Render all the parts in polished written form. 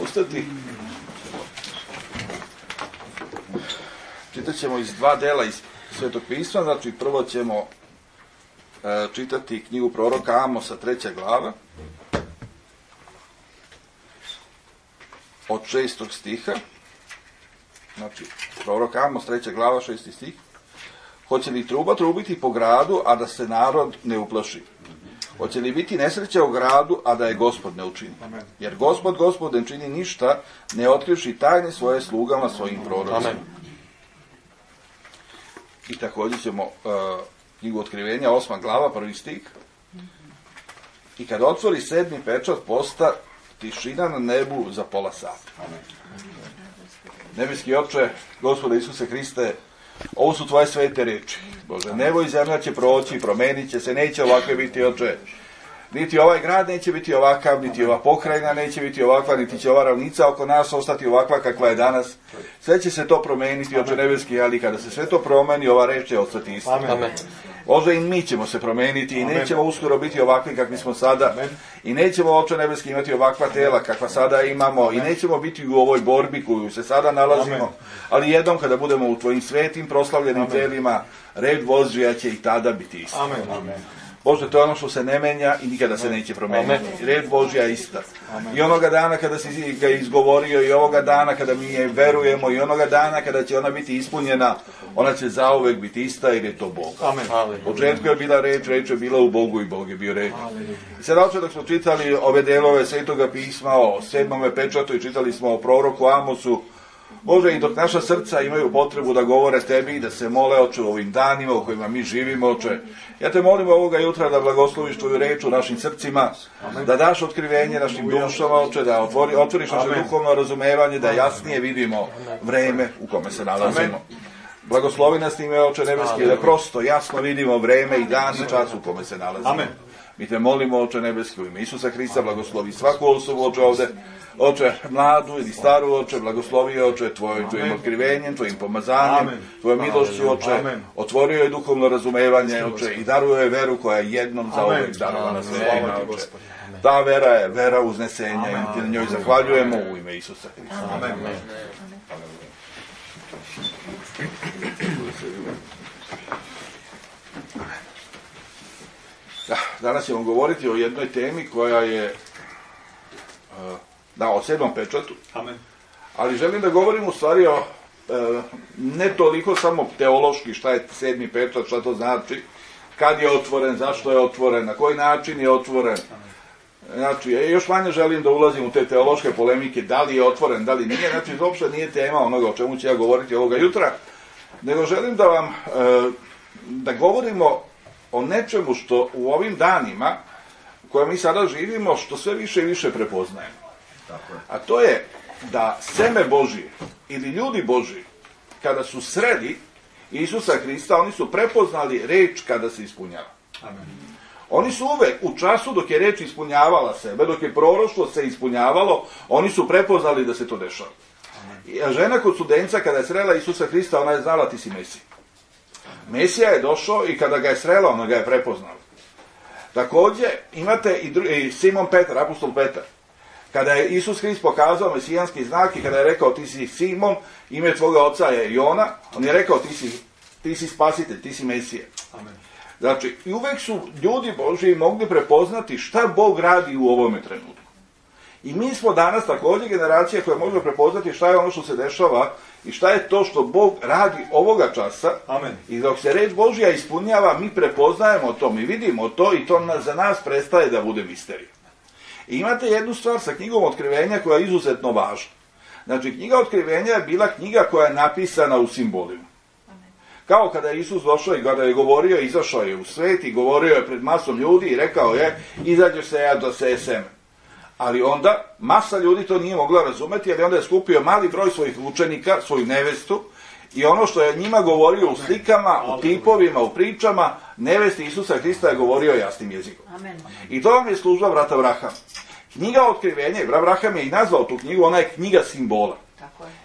Ustati. Čitat ćemo iz dva dela iz Svetog pisma, znači prvo ćemo čitati knjigu proroka Amosa, 3. glava, od 6. stiha, znači prorok Amos, 3. glava, 6. stih. Hoće li truba trubiti po gradu, a da se narod ne uplaši? Hoće li biti nesreća u gradu, a da je Gospod ne učini? Jer Gospod ne čini ništa, ne otkrivši tajne svoje slugama, svojim prorocima. I također ćemo knjigu Otkrivenja, 8. glava, 1. stih. I kad otvori 7. pečat, posta tišina na nebu za pola sata. Nebeski Oče, Gospode Isuse Hriste, ovo su tvoje svete reči. Bože, nebo i zemlja će proći, promenit će se, neće ovakve biti, Oče. Niti ovaj grad neće biti ovakav, niti ova pokrajina neće biti ovakva, niti će ova ravnica oko nas ostati ovakva kakva je danas. Sve će se to promeniti, Oče nebeski, ali kada se sve to promeni, ova reč će ostati ista. Bože, i mi ćemo se promeniti i nećemo uskoro biti ovakvi kakvi smo sada. I nećemo, Oče nebeski, imati ovakva tela kakva sada imamo. I nećemo biti u ovoj borbi koju se sada nalazimo. Ali jednom kada budemo u tvojim svetim proslavljenim telima, red Božja će i tada biti isti. Bože, to je ono što se ne menja i nikada se neće promeniti. Red Božja je ista. I onoga dana kada si ga izgovorio, i ovoga dana kada mi je verujemo, i onoga dana kada će ona biti ispunjena, ona će zauvek biti ista jer je to Bog. U početku je bila reč, reč je bila u Bogu i Bog je bio reč. I sad oče, dok smo čitali ove delove Svetoga pisma o 7. pečatu i čitali smo o proroku Amosu, Bože, i dok naša srca imaju potrebu da govore tebi i da se mole, Oče, u ovim danima u kojima mi živimo, Oče, ja te molim ovoga jutra da blagosloviš tvoju reč u našim srcima, da daš otkrivenje našim dušama, Oče, da otvoriš naše duhovno razumevanje, da jasnije vidimo vreme u kome se nalazimo. Blagoslovi nas time, Oče nebeski, da prosto jasno vidimo vreme i dan i čas u kome se nalazimo. Mi te molimo, Oče nebeski, u ime Isusa Hrista, blagoslovi svaku osobu, Oče, ovde, Oče, mladu ili staru, Oče, blagoslovi, Oče, tvojim otkrivenjem, tvojim pomazanjem, tvojom milošću, Oče, otvorio je duhovno razumevanje, Oče, i daruje je veru koja je jednom zauvek darovana svima, Oče. Ta vera je vera uznesenja i ti na njoj zahvaljujemo u ime Isusa Hrista. Amen. Danas ćemo govoriti o jednoj temi koja je o 7. pečatu. Ali želim da govorim u stvari o ne toliko samo teološki šta je 7. pečat, šta to znači, kad je otvoren, zašto je otvoren, na koji način je otvoren. Znači, još manje želim da ulazim u te teološke polemike, da li je otvoren, da li nije. Znači, uopšte nije tema onoga o čemu ću ja govoriti ovoga jutra, nego želim da vam da govorimo o nečemu što u ovim danima koje mi sada živimo, što sve više i više prepoznajemo. A to je da seme Božije ili ljudi Božiji, kada su sreli Isusa Hrista, oni su prepoznali reč kada se ispunjava. Oni su uvek u času dok je reč ispunjavala sebe, dok je proroštvo se ispunjavalo, oni su prepoznali da se to dešava. A žena kod studenca kada je srela Isusa Hrista, ona je znala ti si Mesija. Mesija je došao i kada ga je srela, ona ga je prepoznala. Također imate i Simon Petar, apostol Petar. Kada je Isus Hrist pokazao mesijanski znak i kada je rekao ti si Simon, ime tvoga oca je Jona, on je rekao ti si spasitelj, ti si Mesija. Znači, i uvek su ljudi Božiji mogli prepoznati šta Bog radi u ovome trenutku. I mi smo danas također generacija koja može prepoznati šta je ono što se dešava i šta je to što Bog radi ovoga časa. I dok se reč Božja ispunjava, mi prepoznajemo to, mi vidimo to i to za nas prestaje da bude misterija. I imate jednu stvar sa knjigom Otkrivenja koja je izuzetno važna. Znači, knjiga Otkrivenja je bila knjiga koja je napisana u simbolima. Kao kada je Isus došao i kada je govorio, izašao je u svet i govorio je pred masom ljudi i rekao je, izađeš se ja da seje seme. Ali onda masa ljudi to nije mogla razumeti, jer onda je skupio mali broj svojih učenika, svoju nevestu, i ono što je njima govorio u slikama, u tipovima, u pričama, nevesti Isusa Hrista je govorio jasnim jezikom. I to vam je služba brata Abrahama. Knjiga Otkrivenja, brat Abraham je i nazvao tu knjigu, ona je knjiga simbola.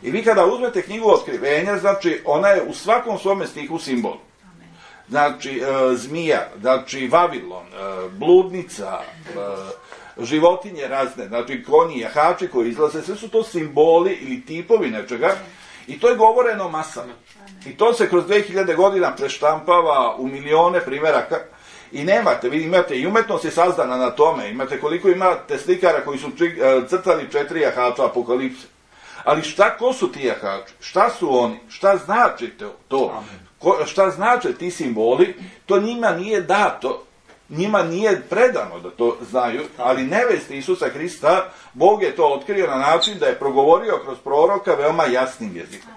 I vi kada uzmete knjigu Otkrivenja, znači ona je u svakom svome stihu simbol. Znači zmija, znači Vavilon, bludnica, životinje razne, znači konji, jahači koji izlaze, sve su to simboli ili tipovi nečega i to je govoreno masama. I to se kroz 2000 godina preštampava u milione primjeraka i nemate, vi imate i umetnost je sazdana na tome, imate koliko imate slikara koji su crtali 4 jahača apokalipse. Ali ko su ti jahači? Šta su oni? Šta znači to? Šta znače ti simboli? To njima nije dato, njima nije predano da to znaju, ali nevesti Isusa Hrista, Bog je to otkrio na način da je progovorio kroz proroka veoma jasnim jezikom.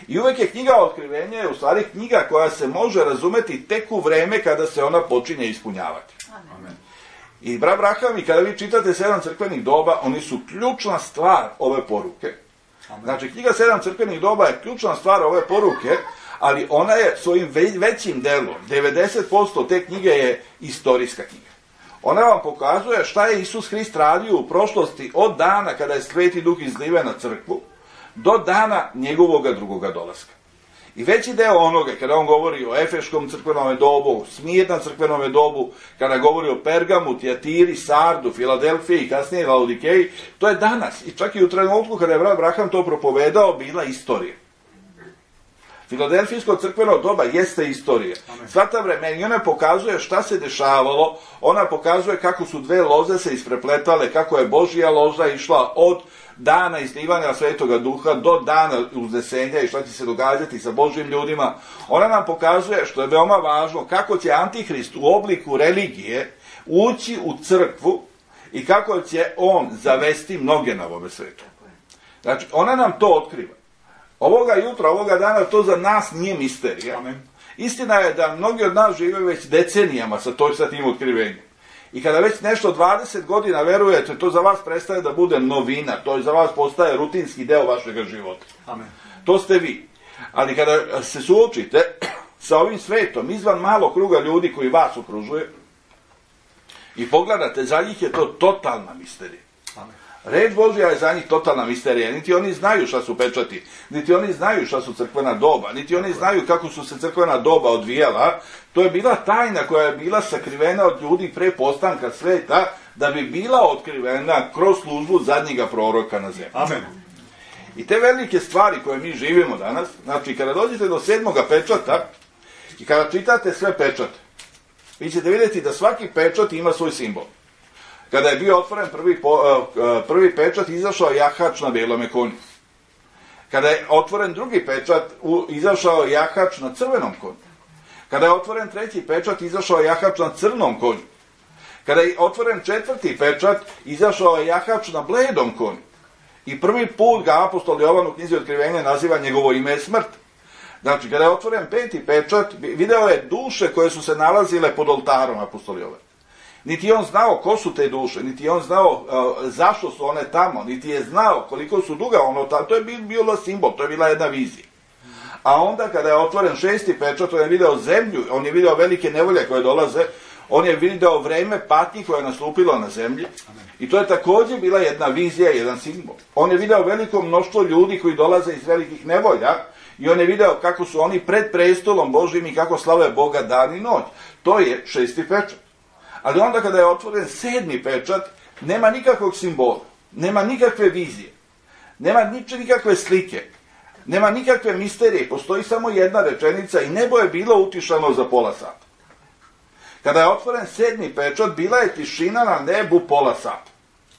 I uvek je knjiga Otkrivenja u stvari knjiga koja se može razumeti tek u vreme kada se ona počinje ispunjavati. I brat Braham, i kada vi čitate 7 crkvenih doba, oni su ključna stvar ove poruke. Znači, knjiga 7 crkvenih doba je ključna stvar ove poruke, ali ona je svojim većim delom, 90% te knjige je istorijska knjiga. Ona vam pokazuje šta je Isus Hrist radio u prošlosti od dana kada je Sveti Duh izliven na crkvu, do dana njegovoga drugoga dolaska. I veći deo onoga, kada on govori o Efeškom crkvenome dobu, Smirna crkvenome dobu, kada govori o Pergamu, Tijatiri, Sardu, Filadelfiji i kasnije Laodikeji, to je danas. I čak i u trenutku kada je brat Braham to propovedao, bila istorija. Filadelfijsko crkveno doba jeste istorija. Sva ta vremena i ona pokazuje šta se dešavalo, ona pokazuje kako su dve loze se isprepletale, kako je Božja loza išla od dana izlivanja Svetoga Duha do dana uznesenja i šta će se događati sa Božjim ljudima. Ona nam pokazuje, što je veoma važno, kako će Antihrist u obliku religije ući u crkvu i kako će on zavesti mnoge na ovome svetu. Znači, ona nam to otkriva. Ovoga jutra, ovoga dana, to za nas nije misterija. Istina je da mnogi od nas žive već decenijama sa tim otkrivenjem. I kada već nešto 20 godina verujete, to za vas prestaje da bude novina, to za vas postaje rutinski deo vašeg života. To ste vi. Ali kada se suočite sa ovim svetom, izvan malog kruga ljudi koji vas okružuje, i pogledate, za njih je to totalna misterija. Reč Božja je za njih totalna misterija. Niti oni znaju šta su pečati, niti oni znaju šta su crkvena doba, niti oni znaju kako su se crkvena doba odvijala. To je bila tajna koja je bila sakrivena od ljudi pre postanka sveta, da bi bila otkrivena kroz službu zadnjega proroka na zemlji. Amen. I te velike stvari koje mi živimo danas, znači kada dođete do 7. pečata i kada čitate sve pečate, vi ćete vidjeti da svaki pečat ima svoj simbol. Kada je bio otvoren prvi pečat, izašao jahač na belome konju. Kada je otvoren drugi pečat, izašao jahač na crvenom konju. Kada je otvoren treći pečat, izašao jahač na crnom konju. Kada je otvoren četvrti pečat, izašao jahač na bledom konju. I prvi put ga apostol Jovan u knjizi Otkrivenja naziva njegovo ime je smrt. Znači, kada je otvoren peti pečat, video je duše koje su se nalazile pod oltarom apostol Jovan. Niti je on znao ko su te duše, niti je on znao zašto su one tamo, niti je znao koliko su duga ono tamo. To je bilo simbol, to je bila jedna vizija. A onda kada je otvoren šesti pečat, on je video zemlju, on je video velike nevolje koje dolaze, on je video vreme patnji koje je nastupilo na zemlji. I to je također bila jedna vizija, jedan simbol. On je video veliko mnoštvo ljudi koji dolaze iz velikih nevolja i on je video kako su oni pred prestolom Božjim i kako slave Boga dan i noć. To je šesti pečat. Ali onda kada je otvoren 7. pečat, nema nikakvog simbola, nema nikakve vizije, nema nikakve slike, nema nikakve misterije, postoji samo jedna rečenica i nebo je bilo utišano za pola sata. Kada je otvoren 7. pečat, bila je tišina na nebu pola sata.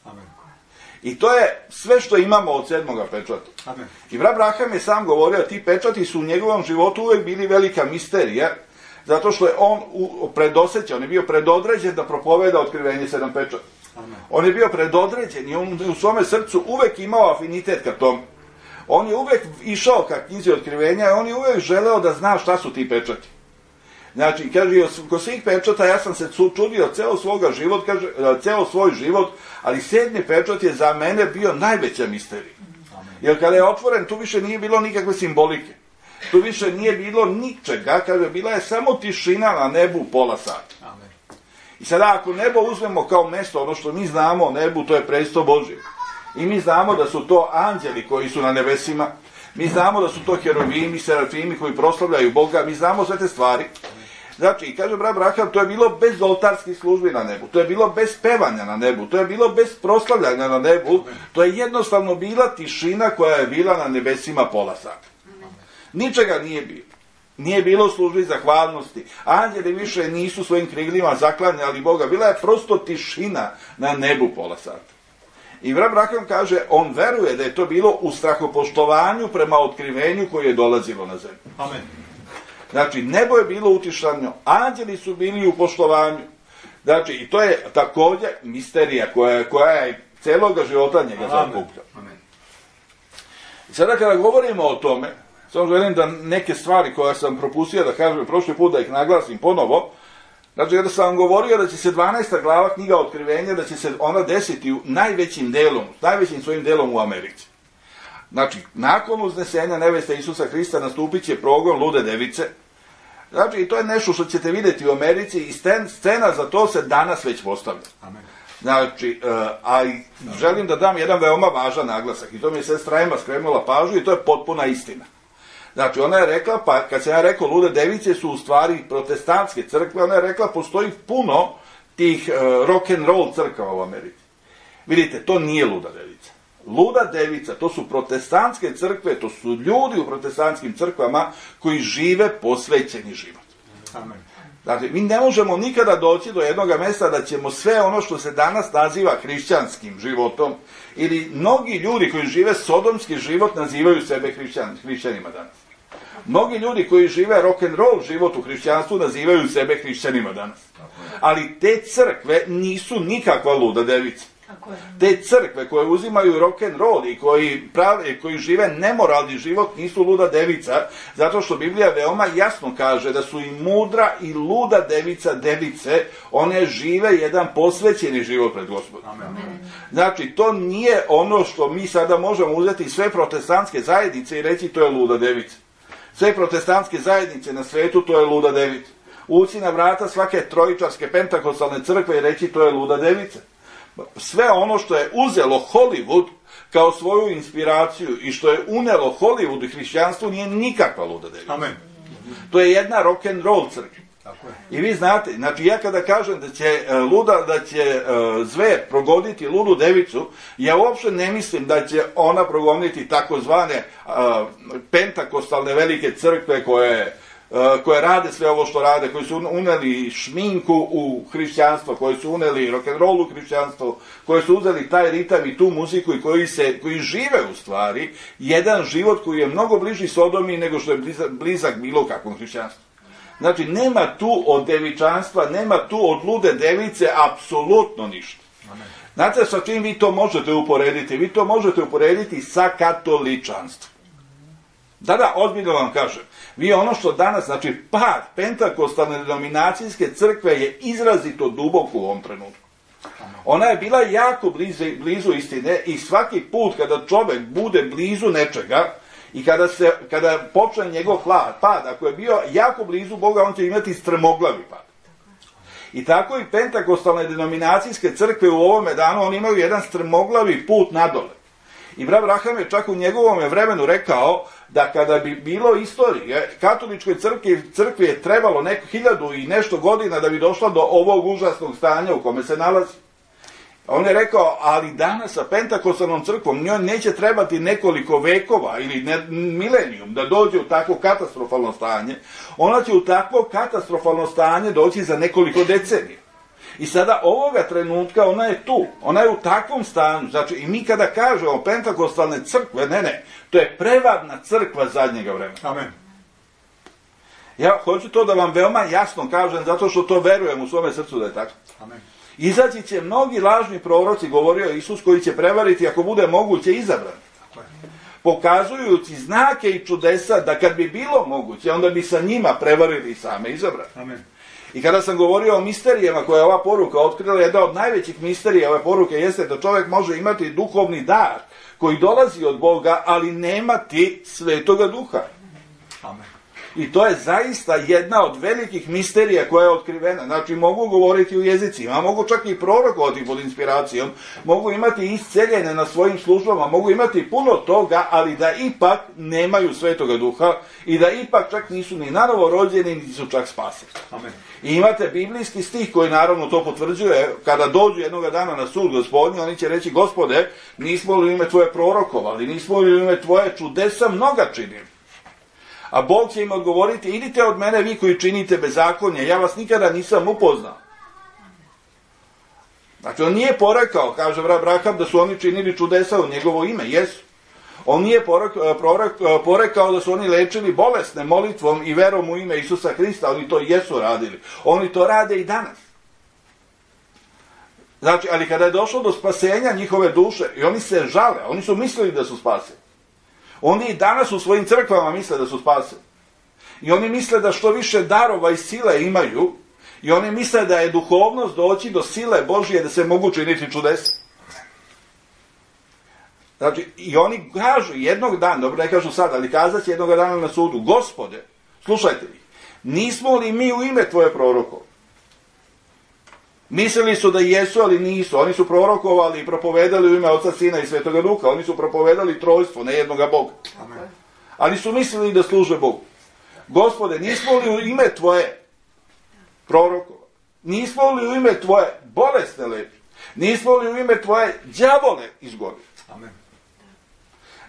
Amen. I to je sve što imamo od 7. pečata. Amen. I brat Braham je sam govorio, ti pečati su u njegovom životu uvek bili velika misterija, zato što je on predosećan, on je bio predodređen da propoveda otkrivenje 7 pečata. On je bio predodređen i on u svome srcu uvek imao afinitet ka tom. On je uvek išao ka knjizi otkrivenja i on je uvek želeo da zna šta su ti pečati. Znači, kaže, kod svih pečata ja sam se čudio ceo svoj život, ali 7. pečat je za mene bio najveća misterija. Jer kada je otvoren, tu više nije bilo nikakve simbolike. Tu više nije bilo ničega, kaže, bila je samo tišina na nebu pola sata. Amen. I sada ako nebo uzmemo kao mesto, ono što mi znamo o nebu, to je presto Božje. I mi znamo da su to anđeli koji su na nebesima, mi znamo da su to heruvimi, serafimi koji proslavljaju Boga, mi znamo sve te stvari. Znači, i kaže brat Branham, to je bilo bez oltarskih službi na nebu, to je bilo bez pevanja na nebu, to je bilo bez proslavljanja na nebu, to je jednostavno bila tišina koja je bila na nebesima pola sata. Ničega nije bilo. Nije bilo službi zahvalnosti. Anđeli više nisu svojim krilima zaklanjali Boga. Bila je prosto tišina na nebu pola sata. I brat Branham kaže, on veruje da je to bilo u strahopoštovanju prema otkrivenju koje je dolazilo na zemlju. Amen. Znači, nebo je bilo utišano, anđeli su bili u poštovanju. Znači, i to je također misterija koja je celoga života njega zakuplja. I sada kada govorimo o tome, samo želim da neke stvari koje sam propustio da kažem prošli put, da ih naglasim ponovo. Znači, kada sam vam govorio da će se 12. glava knjiga Otkrivenja, da će se ona desiti najvećim svojim delom u Americi. Znači, nakon uznesenja neveste Isusa Hrista nastupit će progon lude device. Znači, i to je nešto što ćete vidjeti u Americi i scena za to se danas već postavlja. Znači, a želim da dam jedan veoma važan naglasak i to mi je sestra Ema skrenula pažnju i to je potpuna istina. Znači, ona je rekla, pa kad sam ja rekao lude device su u stvari protestantske crkve, ona je rekla postoji puno tih rock and roll crkava u Americi. Vidite, to nije luda devica. Luda devica, to su protestantske crkve, to su ljudi u protestantskim crkvama koji žive posvećeni život. Amen. Dakle, mi ne možemo nikada doći do jednog mjesta da ćemo sve ono što se danas naziva hrišćanskim životom, ili mnogi ljudi koji žive sodomski život nazivaju sebe hrišćanima danas. Mnogi ljudi koji žive rock and roll život u hrišćanstvu nazivaju sebe hrišćanima danas. Ali te crkve nisu nikakva luda devica. Te crkve koje uzimaju rock and roll i koji žive nemoralni život nisu luda devica, zato što Biblija veoma jasno kaže da su i mudra i luda device, one žive jedan posvećeni život pred Gospodom. Znači, to nije ono što mi sada možemo uzeti sve protestantske zajednice i reći to je luda devica. Sve protestantske zajednice na svetu to je luda devica. Ući na vrata svake trojičarske pentakostalne crkve i reći to je luda devica. Sve ono što je uzelo Hollywood kao svoju inspiraciju i što je unelo Hollywood i hrišćanstvu nije nikakva luda devica. Amen. To je jedna rock and roll crkva. I vi znate, znači ja kada kažem da će zver progoniti ludu devicu, ja uopšte ne mislim da će ona progoniti takozvane pentakostalne velike crkve koje rade sve ovo što rade, koji su uneli šminku u hrišćanstvo, koji su uneli rock'n'roll u hrišćanstvo, koji su uzeli taj ritam i tu muziku i koji žive u stvari jedan život koji je mnogo bliži Sodomi nego što je blizak bilo kakvom hrišćanstvu. Znači, nema tu od devičanstva, nema tu od lude device apsolutno ništa. Znate sa čim vi to možete uporediti? Vi to možete uporediti sa katoličanstvom. Da, ozbiljno vam kažem. Vi ono što danas, znači pad pentakostalne denominacijske crkve je izrazito duboko u ovom trenutku. Ona je bila jako blizu istine i svaki put kada čovjek bude blizu nečega i kada počne njegov pad, ako je bio jako blizu Boga, on će imati strmoglavi pad. I tako i pentakostalne denominacijske crkve u ovome danu, oni imaju jedan strmoglavi put nadole. I brat Branham je čak u njegovom vremenu rekao da kada bi bilo istorije, katoličkoj crkvi je trebalo 1000 i nešto godina da bi došla do ovog užasnog stanja u kome se nalazi. On je rekao, ali danas sa pentakostalnom crkvom njoj neće trebati nekoliko vekova ili milenijum da dođe u takvo katastrofalno stanje. Ona će u takvo katastrofalno stanje doći za nekoliko decenija. I sada ovoga trenutka ona je tu, ona je u takvom stanju. Znači, i mi kada kažemo pentakostalne crkve, ne, to je prevarna crkva zadnjega vremena. Amen. Ja hoću to da vam veoma jasno kažem, zato što to verujem u svome srcu da je tako. Amen. Izaći će mnogi lažni proroci, govorio Isus, koji će prevariti, ako bude moguće, izabrani. Pokazujući znake i čudesa da kad bi bilo moguće, onda bi sa njima prevarili i same izabrani. Amen. I kada sam govorio o misterijama koje je ova poruka otkrila, jedna od najvećih misterija ove poruke jeste da čovjek može imati duhovni dar koji dolazi od Boga, ali nemati Svetoga Duha. Amen. I to je zaista jedna od velikih misterija koja je otkrivena. Znači, mogu govoriti u jezicima, mogu čak i prorokovati pod inspiracijom, mogu imati isceljene na svojim službama, mogu imati puno toga, ali da ipak nemaju Svetoga Duha i da ipak čak nisu ni nanovo rođeni, niti su čak spaseni. Amen. I imate biblijski stih koji naravno to potvrđuje, kada dođu jednoga dana na sud Gospodnji, oni će reći: Gospode, nismo li u ime Tvoje prorokovali, nismo li u ime Tvoje čudesa mnoga činili? A Bog će im odgovoriti: idite od mene vi koji činite bezakonje, ja vas nikada nisam upoznao. Znači, on nije porekao, kaže Abraham, da su oni činili čudesa u njegovo ime, jesu. On nije porekao da su oni lečili bolesne molitvom i verom u ime Isusa Hrista, oni to jesu radili. Oni to rade i danas. Znači, ali kada je došlo do spasenja njihove duše, i oni se žale, oni su mislili da su spaseni. Oni i danas u svojim crkvama misle da su spaseni. I oni misle da što više darova i sile imaju, i oni misle da je duhovnost doći do sile Božije da se mogu činiti čudesa. Znači, i oni kažu jednog dana, dobro ne kažu sad, ali kazat će jednog dana na sudu: Gospode, slušajte vi, nismo li mi u ime Tvoje prorokovali? Mislili su da jesu, ali nisu. Oni su prorokovali i propovedali u ime Oca, Sina i Svetoga Duha. Oni su propovedali trojstvo, ne jednoga Boga. Amen. Ali su mislili da služe Bogu. Gospode, nismo li u ime Tvoje prorokovali? Nismo li u ime Tvoje bolesne lečili? Nismo li u ime Tvoje đavole izgonili? Amen.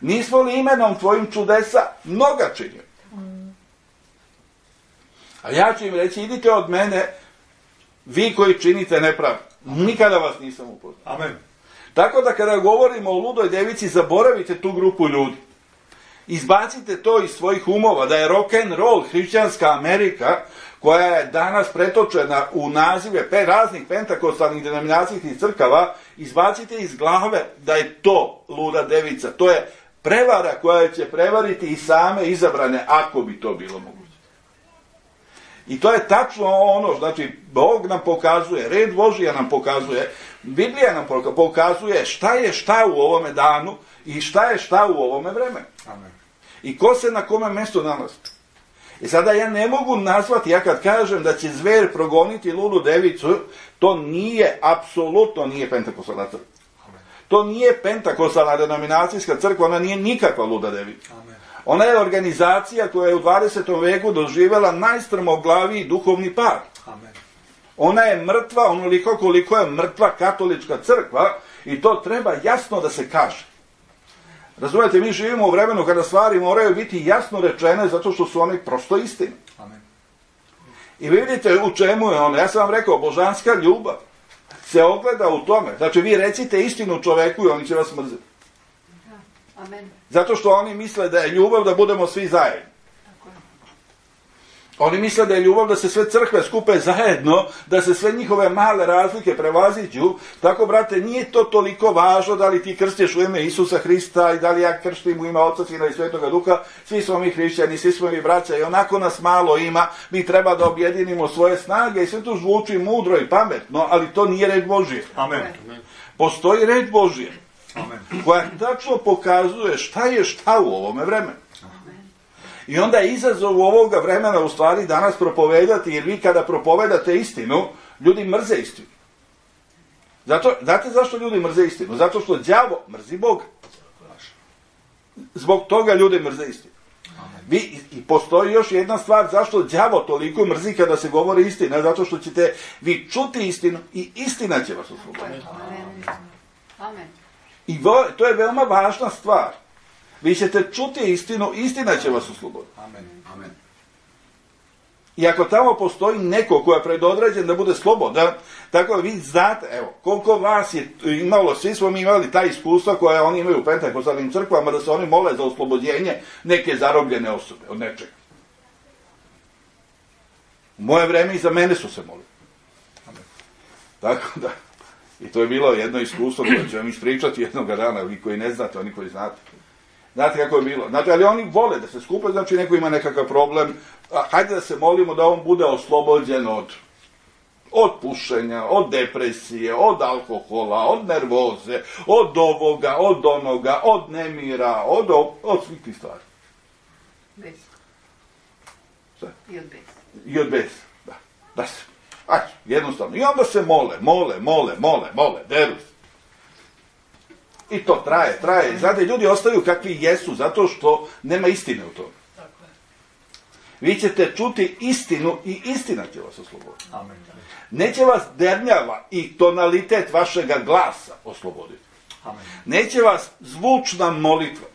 Nismo li imenom Tvojim čudesa mnoga činili? A ja ću im reći: idite od mene, vi koji činite nepravdu. Nikada vas nisam upoznao. Amen. Tako da kada govorimo o ludoj devici, zaboravite tu grupu ljudi. Izbacite to iz svojih umova, da je rock and roll hrišćanska Amerika, koja je danas pretočena u nazive raznih pentakostalnih denominacijskih crkava, izbacite iz glave da je to luda devica. To je prevara koja će prevariti i same izabrane, ako bi to bilo moguće. I to je tačno ono, znači, Bog nam pokazuje, red Božija nam pokazuje, Biblija nam pokazuje šta je šta u ovome danu i šta je šta u ovome vremenu. Amen. I ko se na kome mjestu nalazi. I sada ja ne mogu nazvati, ja kad kažem da će zver progoniti ludu devicu, to nije, apsolutno nije pentakostalna crkva. To nije pentakostalna denominacijska crkva, ona nije nikakva luda devica. Amen. Ona je organizacija koja je u 20. veku doživjela najstrmoglaviji duhovni pad. Amen. Ona je mrtva onoliko koliko je mrtva katolička crkva, i to treba jasno da se kaže. Razumijete, mi živimo u vremenu kada stvari moraju biti jasno rečene zato što su one prosto istine. Amen. I vidite u čemu je ono. Ja sam vam rekao, božanska ljubav se ogleda u tome. Znači, vi recite istinu čoveku i oni će vas mrziti. Amen. Zato što oni misle da je ljubav da budemo svi zajedno. Oni misle da je ljubav da se sve crkve skupe zajedno, da se sve njihove male razlike prevaziđu. Tako, brate, nije to toliko važno da li ti krstiš u ime Isusa Hrista i da li ja krstim u ime Oca, Sina i Svetoga Duha. Svi smo mi hrišćani, svi smo mi braća i onako nas malo ima. Mi treba da objedinimo svoje snage i sve to zvuči mudro i pametno, ali to nije red Božije. Amen. Postoji red Božije, Amen. koja tačno pokazuje šta je šta u ovome vremenu. I onda je izazov ovoga vremena u stvari danas propovedati, jer vi kada propovedate istinu, ljudi mrze istinu. Znate zašto ljudi mrze istinu? Zato što đavo mrzi Boga. Zbog toga ljudi mrze istinu. I postoji još jedna stvar zašto đavo toliko mrzi kada se govori istina, zato što ćete vi čuti istinu i istina će vas osloboditi. Amen. I to je veoma važna stvar. Vi ćete čuti istinu, istina će vas osloboditi. Amen. Amen. I ako tamo postoji neko ko je predodređen da bude slobodan, tako da vi znate, evo, koliko vas je imalo, svi smo mi imali ta iskustva koja oni imaju u pentakostalnim crkvama, da se oni mole za oslobođenje neke zarobljene osobe od nečega. U moje vreme i za mene su se molili. Amen. Tako da, i to je bilo jedno iskustvo koje ću vam ispričati jednoga dana, vi koji ne znate, oni koji znate. Znate kako je bilo? Znači, ali oni vole da se skupe, znači neko ima nekakav problem, hajde da se molimo da on bude oslobođen od pušenja, od depresije, od alkohola, od nervoze, od ovoga, od onoga, od nemira, od svih tih stvari. I od besa. Da se. Ajde, jednostavno. I onda se mole, deru se. I to traje. Znate, ljudi ostaju kakvi jesu, zato što nema istine u tome. Vi ćete čuti istinu i istina će vas osloboditi. Neće vas dernjava i tonalitet vašega glasa osloboditi. Neće vas zvučna molitva.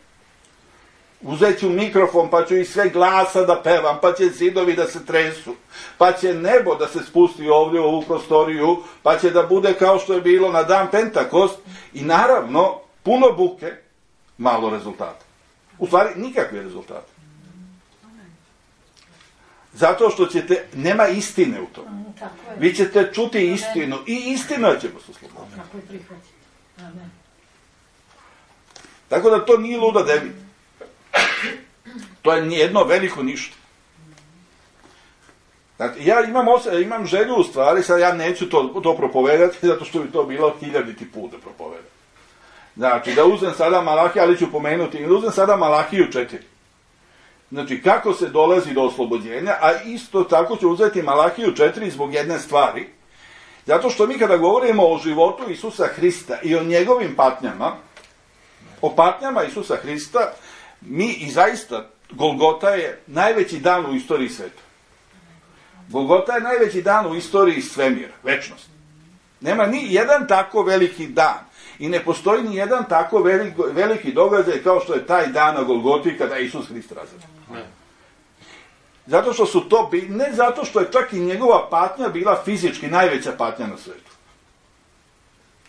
Uzet ću mikrofon, pa ću i sve glasa da pevam, pa će zidovi da se tresu, pa će nebo da se spusti ovdje u ovu prostoriju, pa će da bude kao što je bilo na dan Pentakost i naravno puno buke, malo rezultata. U stvari nikakve rezultate. Zato što nema istine u tome. Vi ćete čuti istinu i istina će vas osloboditi. Tako da to nije luda devija. To je jedno veliko ništa. Znači, ja imam želju u stvari, sad ja neću to propovedati, zato što bi to bilo 1000 put da propovedam. Znači, da uzem sada Malahiju, ali ću pomenuti, da uzem sada Malahiju 4. Znači, kako se dolazi do oslobođenja, a isto tako ću uzeti Malahiju 4 zbog jedne stvari. Zato što mi kada govorimo o životu Isusa Hrista i o njegovim patnjama, o patnjama Isusa Hrista, mi i zaista, Golgota je najveći dan u istoriji sveta. Golgota je najveći dan u istoriji svemira, večnosti. Nema ni jedan tako veliki dan i ne postoji ni jedan tako veliki događaj kao što je taj dan na Golgoti kada je Isus Hrist razapet. Zato što su to, ne zato što je čak i njegova patnja bila fizički najveća patnja na svetu.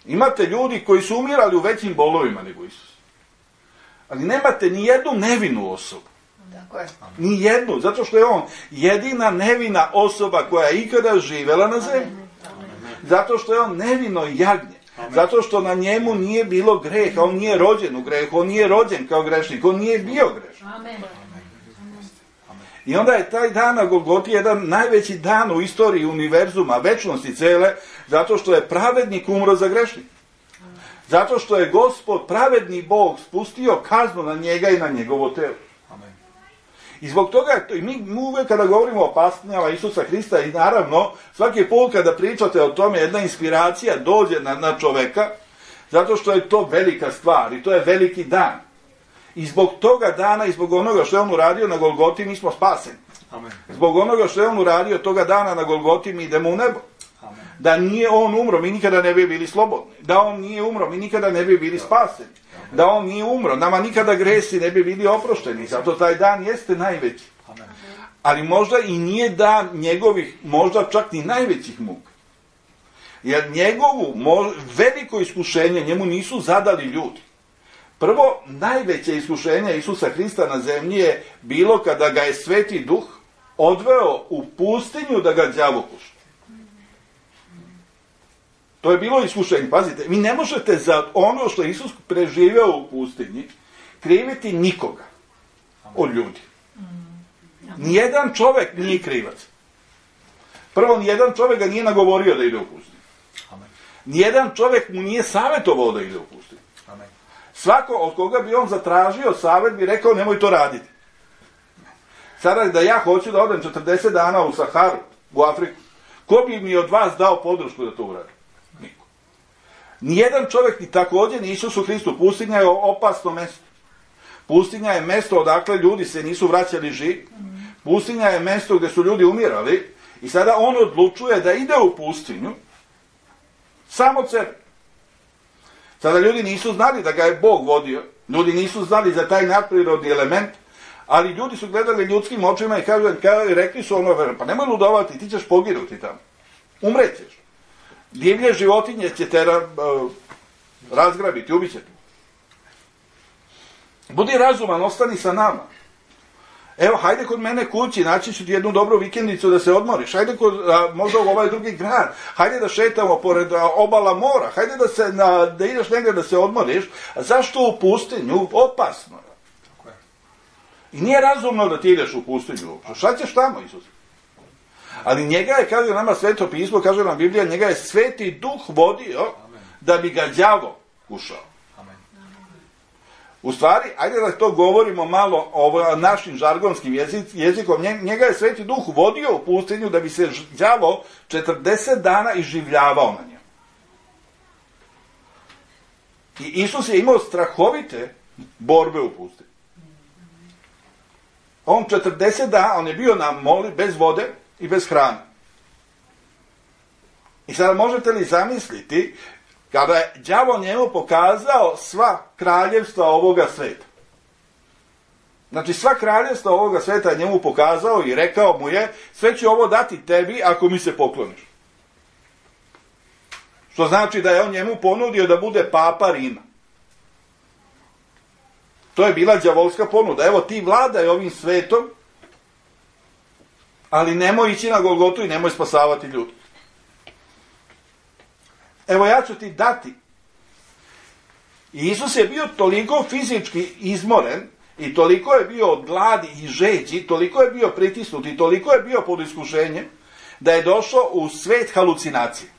Imate ljudi koji su umirali u većim bolovima nego Isus. Ali nemate ni jednu nevinu osobu. Ni jednu, zato što je on jedina nevina osoba koja je ikada živela na zemlji. Zato što je on nevino jagnje. Zato što na njemu nije bilo greha, on nije rođen u grehu, on nije rođen kao grešnik, on nije bio grešnik. I onda je taj dan na Golgoti jedan najveći dan u istoriji univerzuma, večnosti cele, zato što je pravednik umro za grešnik. Zato što je Gospod, pravedni Bog, spustio kaznu na njega i na njegovo telo. I zbog toga, mi uvijek kada govorimo o patnjama Isusa Hrista, i naravno, svaki put kada pričate o tome, jedna inspiracija dođe na čoveka, zato što je to velika stvar i to je veliki dan. I zbog toga dana i zbog onoga što je on uradio na Golgoti, mi smo spaseni. Zbog onoga što je on uradio toga dana na Golgoti, mi idemo u nebo. Da nije on umro, mi nikada ne bi bili slobodni. Da on nije umro, mi nikada ne bi bili spaseni. Da on nije umro, nama nikada gresi ne bi bili oprošteni. Zato taj dan jeste najveći. Ali možda i nije dan njegovih, možda čak ni najvećih muka. Jer njegovu veliko iskušenje njemu nisu zadali ljudi. Prvo, najveće iskušenje Isusa Hrista na zemlji je bilo kada ga je Sveti Duh odveo u pustinju da ga đavo kuša. To je bilo iskušenje. Pazite, vi ne možete za ono što Isus preživeo u pustinji kriviti nikoga od ljudi. Nijedan čovek nije krivac. Prvo, nijedan čovek ga nije nagovorio da ide u pustinju. Nijedan čovek mu nije savjetovao da ide u pustinju. Svako od koga bi on zatražio savjet bi rekao nemoj to raditi. Sada da ja hoću da odem 40 dana u Saharu, u Afriku, ko bi mi od vas dao podršku da to uradi? Niko. Nijedan čovjek ni također ni Isusu Hristu. Pustinja je opasno mesto. Pustinja je mesto odakle ljudi se nisu vraćali živi. Pustinja je mesto gdje su ljudi umirali i sada on odlučuje da ide u pustinju samo od sebe. Sada ljudi nisu znali da ga je Bog vodio, ljudi nisu znali za taj nadprirodni element, ali ljudi su gledali ljudskim očima i rekli su ono, pa nemoj ludovati, ti ćeš poginuti tamo, umrećeš. Divlje životinje će te razgrabiti, ubit će te. Budi razuman, ostani sa nama. Evo, hajde kod mene kući, naći ću ti jednu dobru vikendicu da se odmoriš, hajde možda u ovaj drugi grad, hajde da šetamo pored obala mora, hajde da ideš negdje da se odmoriš, a zašto u pustinju? Opasno. I nije razumno da ti ideš u pustinju. Šta ćeš tamo, Isus? Ali njega je, kaže nama Sveto pismo, kaže nam Biblija, njega je Sveti Duh vodio da bi ga đavo kušao. U stvari, ajde da to govorimo malo našim žargonskim jezikom, njega je Sveti Duh vodio u pustinju da bi se đavo 40 dana iživljavao na njemu. I Isus je imao strahovite borbe u pustinju. On 40 dana, on je bio na moli bez vode i bez hrane. I sada možete li zamisliti kada je đavo njemu pokazao sva kraljevstva ovoga sveta. Znači sva kraljevstva ovoga sveta je njemu pokazao i rekao mu je, sve ću ovo dati tebi ako mi se pokloniš. Što znači da je on njemu ponudio da bude papa Rima. To je bila đavolska ponuda. Evo ti vladaj ovim svetom, ali nemoj ići na Golgotu i nemoj spasavati ljudi. Evo ja ću ti dati. I Isus je bio toliko fizički izmoren i toliko je bio od gladi i žeđi, toliko je bio pritisnut i toliko je bio pod iskušenjem da je došao u svet halucinacije.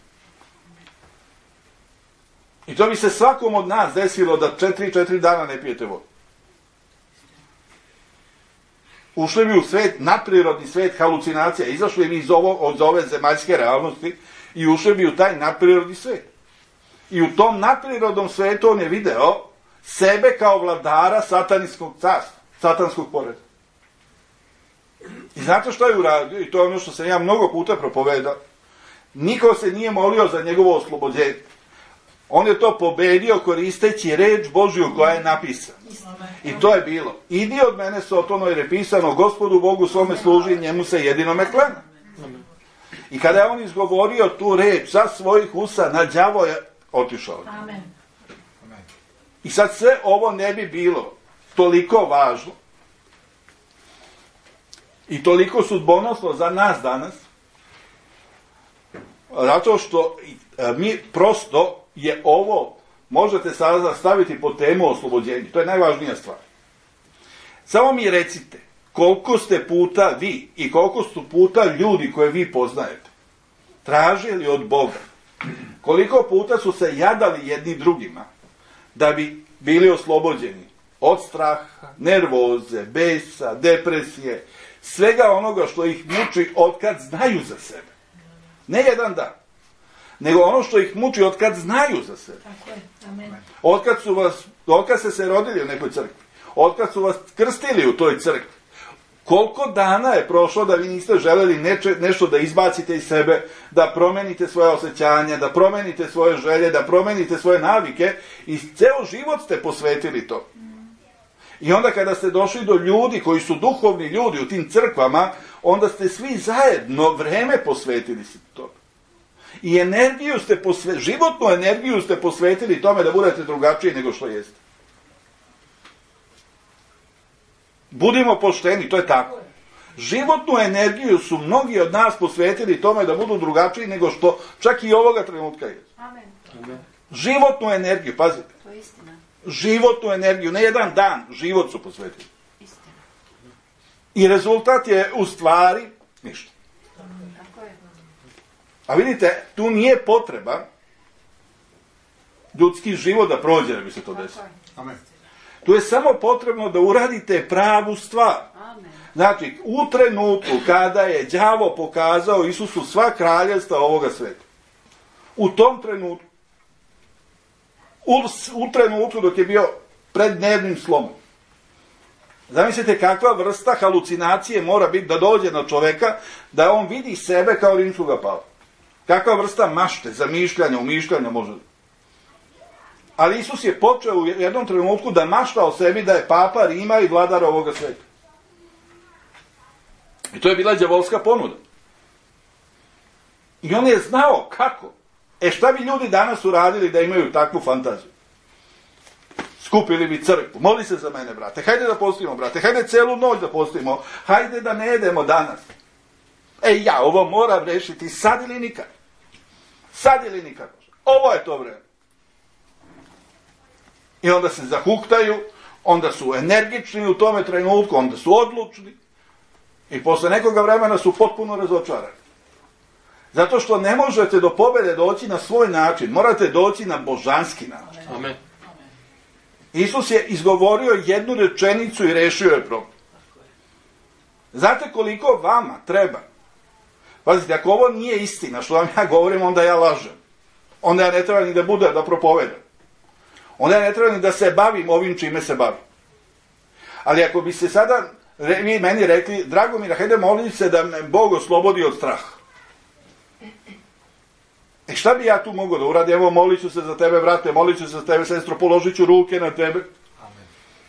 I to bi se svakom od nas desilo da 4 dana ne pijete vodu. Ušli bi u svet, nadprirodni svet halucinacija, izašli bi od ove zemaljske realnosti i ušli bi u taj nadprirodni svet. I u tom nadprirodnom svetu on je video sebe kao vladara satanskog carstva, satanskog poreda. I znate što je uradio? I to je ono što sam ja mnogo puta propovedao. Niko se nije molio za njegovo oslobođenje. On je to pobedio koristeći reč Božju koja je napisana. I to je bilo. Idi od mene, Sotono, jer je pisano, Gospodu Bogu svome služi, njemu se jedinome klanja. I kada je on izgovorio tu reč sa svojih usta, na đavo je otišao. Amen. I sad sve ovo ne bi bilo toliko važno i toliko sudbonosno za nas danas, zato što mi prosto je ovo, možete sada staviti pod temu oslobođenja. To je najvažnija stvar. Samo mi recite, koliko ste puta vi i koliko su puta ljudi koje vi poznajete tražili od Boga, koliko puta su se jadali jedni drugima da bi bili oslobođeni od straha, nervoze, besa, depresije, svega onoga što ih muči otkad znaju za sebe. Ne jedan dan, nego ono što ih muči otkad znaju za sebe. Tako je. Amen. Otkad ste se rodili u nekoj crkvi, otkad su vas krstili u toj crkvi, koliko dana je prošlo da vi niste želeli nešto da izbacite iz sebe, da promenite svoje osjećanja, da promenite svoje želje, da promenite svoje navike i ceo život ste posvetili to. I onda kada ste došli do ljudi koji su duhovni ljudi u tim crkvama, onda ste svi zajedno vreme posvetili se to. I energiju ste životnu energiju ste posvetili tome da budete drugačiji nego što jeste. Budimo pošteni, to je tako. Životnu energiju su mnogi od nas posvetili tome da budu drugačiji nego što čak i ovoga trenutka je. Amen. Životnu energiju, pazite. To je istina. Životnu energiju, ne jedan dan, život su posvetili. Istina. I rezultat je u stvari ništa. Tako je. A vidite, tu nije potreba ljudski život da prođe da bi se to desilo. Amen. Tu je samo potrebno da uradite pravu stvar. Amen. Znači, u trenutku kada je đavo pokazao Isusu sva kraljevstva ovoga sveta, u tom trenutku, u trenutku dok je bio pred dnevnim slomom, zamislite kakva vrsta halucinacije mora biti da dođe na čoveka, da on vidi sebe kao rimskoga papa. Kakva vrsta mašte, zamišljanja, umišljanja može. Ali Isus je počeo u jednom trenutku da mašta o sebi da je papa Rima i vladar ovoga sveta. I to je bila đavolska ponuda. I on je znao kako. Šta bi ljudi danas uradili da imaju takvu fantaziju? Skupili bi crkvu. Moli se za mene, brate. Hajde da postimo, brate. Hajde celu noć da postimo. Hajde da ne jedemo danas. Ja ovo moram rešiti sad ili nikad. Sad ili nikad. Ovo je to vreme. I onda se zahuktaju, onda su energični u tome trenutku, onda su odlučni i posle nekoga vremena su potpuno razočarani. Zato što ne možete do pobede doći na svoj način, morate doći na božanski način. Amen. Isus je izgovorio jednu rečenicu i rešio je problem. Znate koliko vama treba? Pazite, ako ovo nije istina, što vam ja govorim, onda ja lažem. Onda ja ne treba ni da budem, da propovedam. Onda ja ne treba ni da se bavim ovim čime se bavim. Ali ako bi se sada vi meni rekli, Dragomir, hajde molim se da me Bog oslobodi od straha. Šta bi ja tu mogao da uradim? Evo, molit ću se za tebe, brate, molit ću se za tebe, sestro, položit ću ruke na tebe. Amen.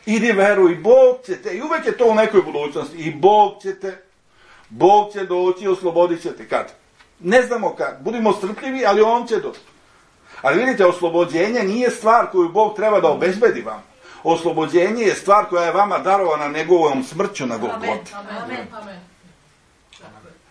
Idi, veruj, Bog će te, i uvek je to u nekoj budućnosti, i Bog će te, Bog će doći i oslobodit će te. Kad? Ne znamo kad. Budimo strpljivi, ali on će doći. Ali vidite, oslobođenje nije stvar koju Bog treba da obezbedi vam. Oslobođenje je stvar koja je vama darovana njegovom smrću na Golgoti. Amen. Amen.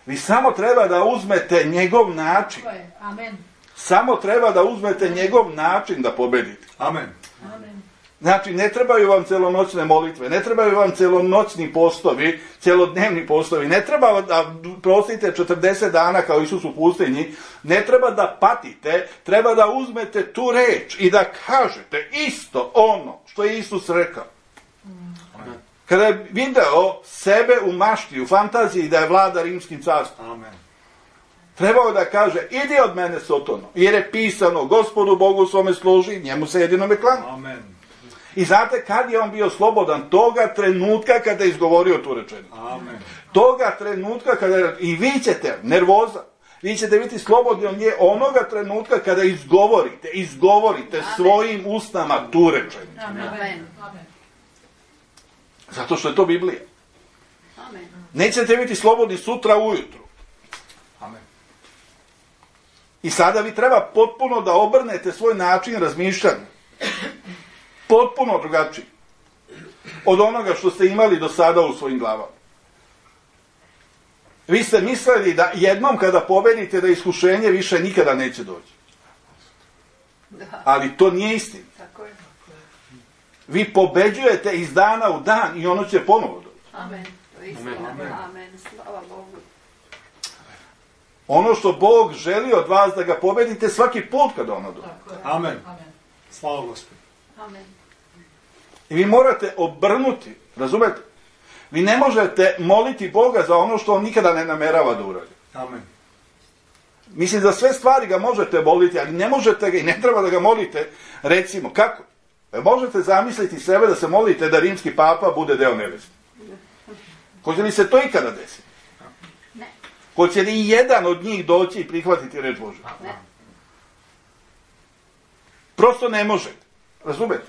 Vi samo treba da uzmete njegov način. Amen. Samo treba da uzmete njegov način da pobedite. Amen. Amen. Znači, ne trebaju vam celonoćne molitve, ne trebaju vam celonoćni postovi, celodnevni postovi, ne treba da prostite 40 dana kao Isus u pustinji, ne treba da patite, treba da uzmete tu reč i da kažete isto ono što je Isus rekao. Kada je video sebe u mašti, u fantaziji da je vlada rimskim carstvom, Amen. trebao da kaže, idi od mene, Sotono, jer je pisano, Gospodu Bogu svome služi, njemu se jedinome klanja. Amen. I znate kad je on bio slobodan? Toga trenutka kada je izgovorio tu rečenicu. Amen. Toga trenutka kada je, i vi ćete, nervoza, vi ćete biti slobodni od nje onoga trenutka kada izgovorite svojim usnama tu rečenicu. Amen. Zato što je to Biblija. Amen. Nećete biti slobodni sutra ujutru. Amen. I sada vi treba potpuno da obrnete svoj način razmišljanja. Potpuno drugačiji. Od onoga što ste imali do sada u svojim glavama. Vi ste mislili da jednom kada pobedite da iskušenje više nikada neće doći. Ali to nije istina. Tako je. Vi pobeđujete iz dana u dan i ono će ponovo doći. Amen. To je istina. Amen. Amen. Slava Bogu. Ono što Bog želi od vas da ga pobedite svaki put kada ono dođe. Amen. Slava Gospodu. Amen. I vi morate obrnuti, razumete? Vi ne možete moliti Boga za ono što on nikada ne namerava da uradi. Amen. Mislim, za sve stvari ga možete moliti, ali ne možete ga i ne treba da ga molite, recimo, kako? Možete zamisliti sebe da se molite da rimski papa bude deo neveste. Hoće li se to ikada desiti? Ne. Hoće li jedan od njih doći i prihvatiti reč Božju? Ne. Prosto ne možete. Razumete?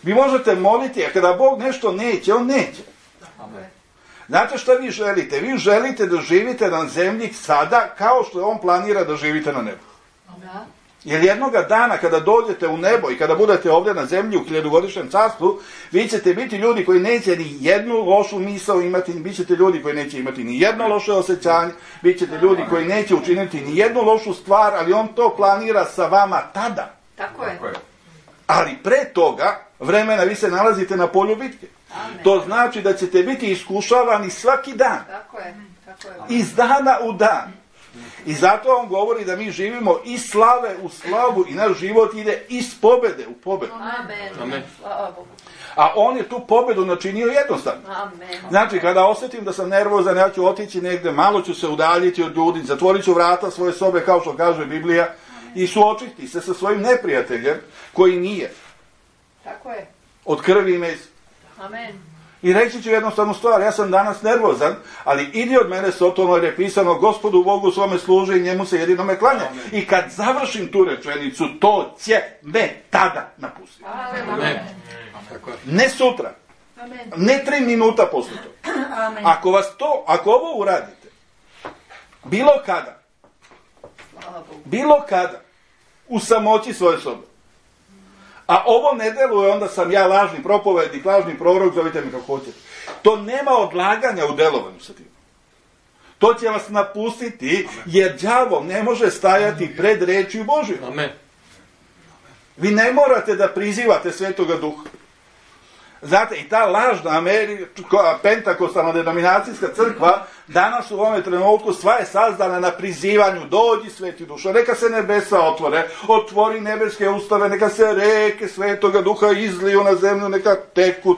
Vi možete moliti, a kada Bog nešto neće, on neće. Amen. Znate šta vi želite? Vi želite da živite na zemlji sada kao što on planira da živite na nebu. Da. Jer jednoga dana kada dođete u nebo i kada budete ovdje na zemlji u 1000-godišnjem carstvu, vi ćete biti ljudi koji neće ni jednu lošu misao imati, bit ćete ljudi koji neće imati ni jedno loše osjećanje, bit ćete ljudi koji neće učiniti ni jednu lošu stvar, ali on to planira sa vama tada. Tako je. Tako je. Ali pre toga vremena vi se nalazite na polju bitke. Amen. To znači da ćete biti iskušavani svaki dan. Tako je. Tako je. Iz dana u dan. I zato on govori da mi živimo iz slave u slavu i naš život ide iz pobede u pobedu. Amen. Slava Bogu. A on je tu pobedu načinio jednostavno. Amen. Znači, kada osjetim da sam nervozan, ja ću otići negde, malo ću se udaljiti od ljudi, zatvorit ću vrata svoje sobe, kao što kaže Biblija, i suočiti se sa svojim neprijateljem, koji nije Tako je. od krvi i mesa. Amen. I reći ću jednostavnu stvar, ja sam danas nervozan, ali idi od mene, Sotono, jer je pisano, Gospodu Bogu svome služi i njemu se jedinome klanja. Amen. I kad završim tu rečenicu, to će me tada napustiti. Amen. Tako je. Ne sutra, Amen. ne 3 minuta posle toga. Amen. Ako ovo uradite, bilo kada, u samoći svoje sobe, a ovo ne deluje, onda sam ja lažni propovednik, lažni prorok, zovite mi kako hoćete. To nema odlaganja u delovanju sa tim. To će vas napustiti, jer đavo ne može stajati pred rečju Božju. Amen. Vi ne morate da prizivate Svetoga Duha. Znate, i ta lažna pentakostalna denominacijska crkva danas u ovome trenutku sva je sazdana na prizivanju, dođi Sveti Duša, neka se nebesa otvore, otvori nebeske ustave, neka se reke Svetoga Duha izliju na zemlju, neka teku.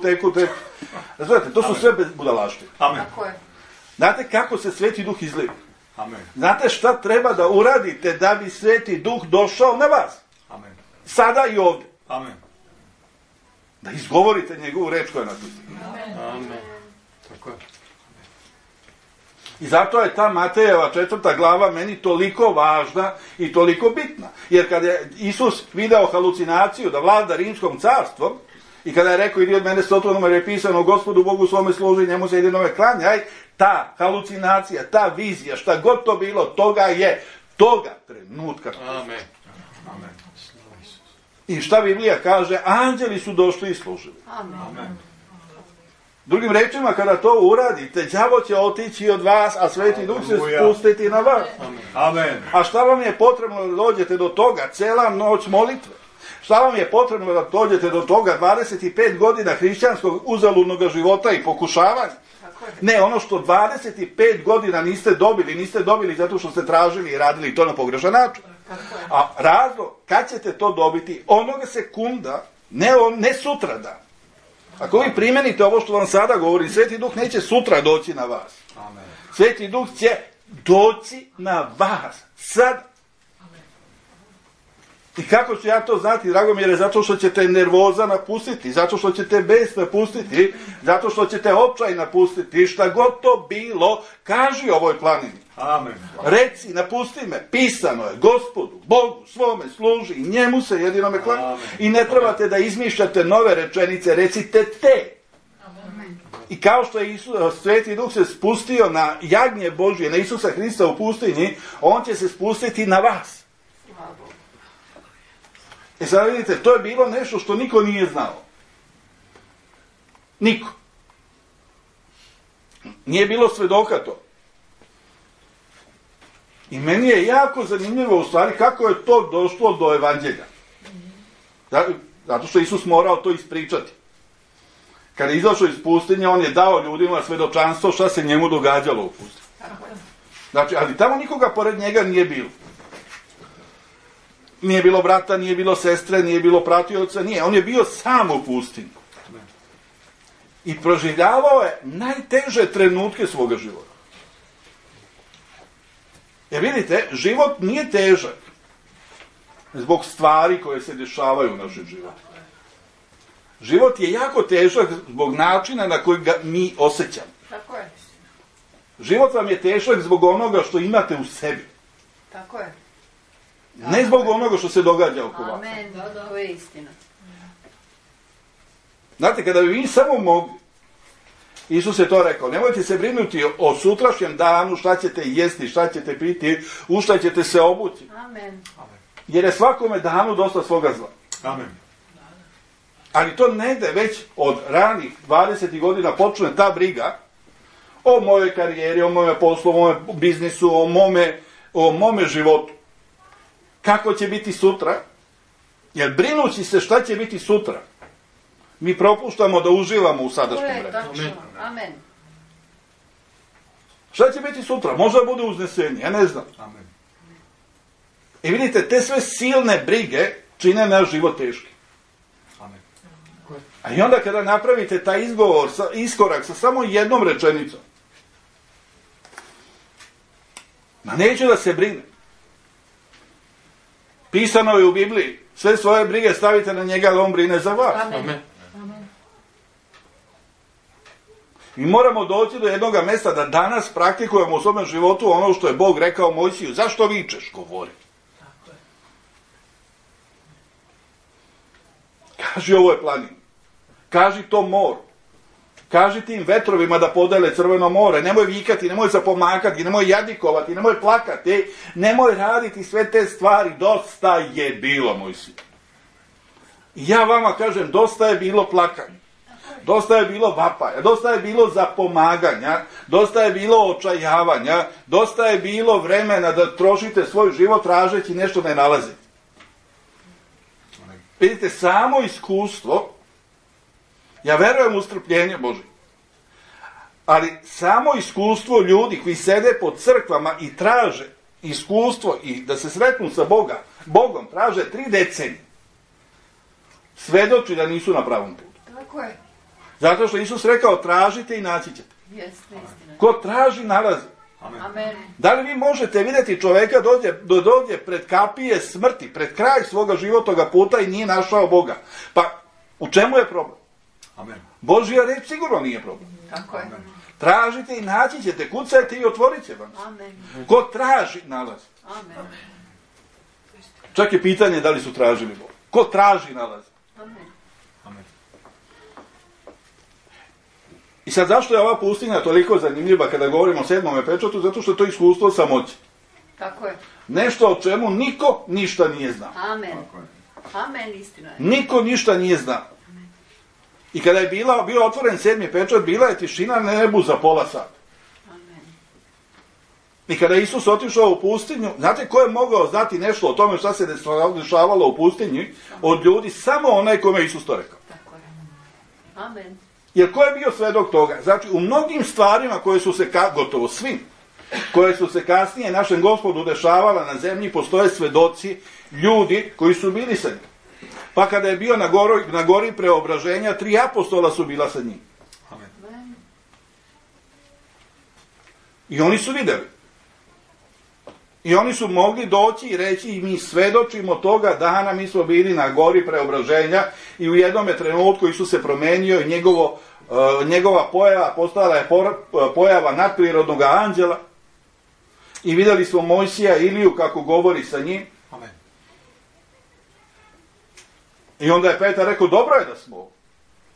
Znate, to su sve budalaštine. Amen. Znate kako se Sveti Duh izlije? Amen. Znate šta treba da uradite da bi Sveti Duh došao na vas? Amen. Sada i ovdje. Amen. Da izgovorite njegovu reč koja je napisana. Amen. Tako je. I zato je ta Matejeva 4. glava meni toliko važna i toliko bitna. Jer kada je Isus video halucinaciju da vlada rimskom carstvom i kada je rekao idi od mene sotvonom jer je pisano Gospodu Bogu svome služi, njemu se jedinome klanjaj, ta halucinacija, ta vizija, šta god to bilo, toga trenutka. Amen. Amen. I šta Biblija kaže? Anđeli su došli i služili. Amen. Drugim rečima, kada to uradite, đavo će otići od vas, a Sveti Duh se spustiti na vas. Amen. A šta vam je potrebno da dođete do toga? Cela noć molitve. Šta vam je potrebno da dođete do toga? 25 godina hrišćanskog uzaludnog života i pokušavanja. Ne, ono što 25 godina niste dobili zato što ste tražili i radili to na pogrešan način. A razlog, kad ćete to dobiti? Onoga sekunda, ne sutradan. Ako vi primenite ovo što vam sada govorim, Sveti Duh neće sutra doći na vas. Amen. Sveti Duh će doći na vas. Sad. I kako ću ja to znati, Dragomire? Zato što ćete nervoza napustiti, zato što ćete bes napustiti, zato što ćete očaj napustiti, šta god to bilo, kaži ovoj planini. Amen. Reci, napusti me, pisano je, Gospodu, Bogu, svome služi, njemu se jedinome klanjaj. I ne trebate da izmišljate nove rečenice, recite te. Amen. I kao što je Sveti Duh se spustio na jagnje Božje, na Isusa Hrista u pustinji, on će se spustiti na vas. I sad vidite, to je bilo nešto što niko nije znao. Niko. Nije bilo svedoka to. I meni je jako zanimljivo u stvari kako je to došlo do evanđelja. Zato što Isus morao to ispričati. Kada je izašao iz pustinje, on je dao ljudima svedočanstvo šta se njemu događalo u pustinji. Znači, ali tamo nikoga pored njega nije bilo. Nije bilo brata, nije bilo sestre, nije bilo pratioca, nije. On je bio sam u pustinji. I proživljavao je najteže trenutke svoga života. Jer vidite, život nije težak zbog stvari koje se dešavaju u našem životu. Život je jako težak zbog načina na koji ga mi osjećamo. Tako je. Život vam je težak zbog onoga što imate u sebi. Tako je. Ne zbog onoga što se događa oko vas. Amen, to je istina. Znate, kada bi vi samo mogli, Isus je to rekao, nemojte se brinuti o sutrašnjem danu, šta ćete jesti, šta ćete piti, u šta ćete se obući. Amen. Jer je svakome danu dosta svoga zla. Amen. Ali to ne ide već od ranih 20 godina počne ta briga o mojoj karijeri, o mojoj poslu, o mojem biznisu, o mome životu. Kako će biti sutra? Jer brinući se šta će biti sutra, mi propuštamo da uživamo u sadašnjem vremenu. Amen. Šta će biti sutra? Možda bude uznesenje, ja ne znam. Amen. I vidite, te sve silne brige čine naš život teški. Amen. A i onda kada napravite taj iskorak sa samo jednom rečenicom, neću da se brine. Pisano je u Bibliji, sve svoje brige stavite na njega, ali on brine za vas. Amen. Mi moramo doći do jednog mjesta da danas praktikujemo u svom životu ono što je Bog rekao Mojsiju. Zašto vičeš? Govori. Kaži ovoj planini. Kaži to moru. Kaži tim vetrovima da podele Crveno more. Nemoj vikati, nemoj zapomakati, nemoj jadikovati, nemoj plakati. Nemoj raditi sve te stvari. Dosta je bilo, Mojsiju. I ja vama kažem, dosta je bilo plakanja. Dosta je bilo vapaja, dosta je bilo zapomaganja, dosta je bilo očajavanja, dosta je bilo vremena da trošite svoj život tražeći nešto ne nalazite. Vidite, samo iskustvo Ja verujem u strpljenje Božje. Ali samo iskustvo ljudi koji sede po crkvama i traže iskustvo i da se sretnu sa Bogom, traže 3 decenije. Svedoči da nisu na pravom putu. Tako je. Zato što Isus rekao, tražite i naći ćete. Jeste, istina. Ko traži, nalazi. Amen. Da li vi možete vidjeti čoveka dođe pred kapije smrti, pred kraj svoga životnoga puta i nije našao Boga? Pa u čemu je problem? Amen. Božja reč sigurno nije problem. Tako je. Tražite i naći ćete, kucajte i otvorit će vam. Amen. Ko traži, nalazi. Amen. Čak je pitanje da li su tražili Boga. Ko traži, nalazi. Amen. Amen. I sad zašto je ova pustinja toliko zanimljiva kada govorimo o 7. pečatu? Zato što je to iskustvo samoće. Tako je. Nešto o čemu niko ništa nije znao. Amen. Tako je. Amen, istina je. Niko ništa nije znao. I kada je bio otvoren 7. pečat, bila je tišina na nebu za pola sata. Amen. I kada je Isus otišao u pustinju, znate ko je mogao znati nešto o tome šta se dešavalo u pustinji od ljudi? Samo onaj kome je Isus to rekao. Tako je. Amen. Jer ko je bio svedok toga? Znači, u mnogim stvarima koje su se, gotovo svim, koje su se kasnije našem Gospodu dešavala na zemlji, postoje svedoci, ljudi koji su bili sa njim. Pa kada je bio na gori preobraženja, 3 apostola su bila sa njim. Amen. Amen. I oni su vidjeli. I oni su mogli doći i reći i mi svedočimo toga dana, mi smo bili na gori preobraženja i u jednom trenutku Isus se promenio i njegova pojava postala je pojava nadprirodnog anđela. I vidjeli smo Mojsija i Iliju kako govori sa njim. Amen. I onda je Petar rekao, dobro je da smo.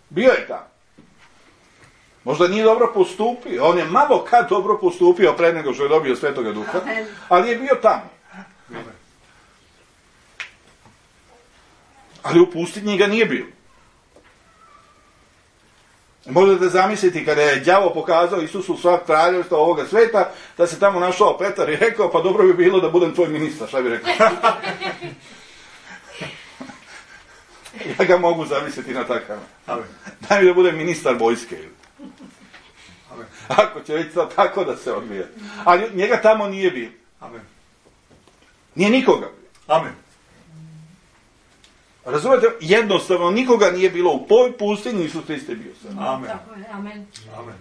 Bio je tamo. Možda nije dobro postupio. On je malo kad dobro postupio pre nego što je dobio Svetoga Duha. Amen. Ali je bio tamo. Amen. Ali u pustinji ga nije bilo. Možete zamisliti kada je đavo pokazao Isusu sva kraljevstva ovoga sveta, da se tamo našao Petar i rekao, pa dobro bi bilo da budem tvoj ministar, šta bi rekao? Ja ga mogu zamisliti na takav. Amen. Daj mi da budem ministar vojske. Amen. Ako će već tako da se odvija. Ali njega tamo nije bilo. Amen. Nije nikoga bilo. Amen. Razumete? Jednostavno nikoga nije bilo u toj pustinji, Isus Hriste bio sam. Amen. Tako je, amen. Amen.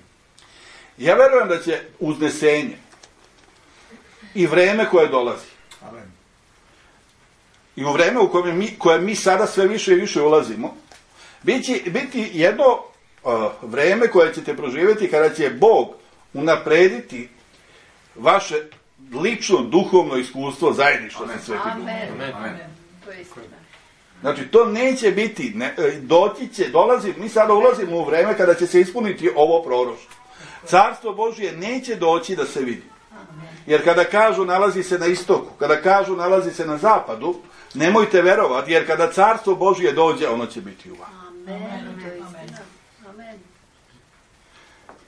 Ja verujem da će uznesenje i vreme koje dolazi Amen. i u vreme u koje mi sada sve više i više ulazimo, biti jedno vreme koje ćete proživjeti kada će Bog unaprediti vaše lično duhovno iskustvo zajedništva sa Svetim Duhom. Amen. Amen. To je istina. Znači, to neće biti, mi sada ulazimo u vreme kada će se ispuniti ovo proroštvo. Carstvo Božje neće doći da se vidi. Jer kada kažu nalazi se na istoku, kada kažu nalazi se na zapadu, nemojte verovati, jer kada Carstvo Božje dođe, ono će biti u vama. Amen. To je istina. Amen.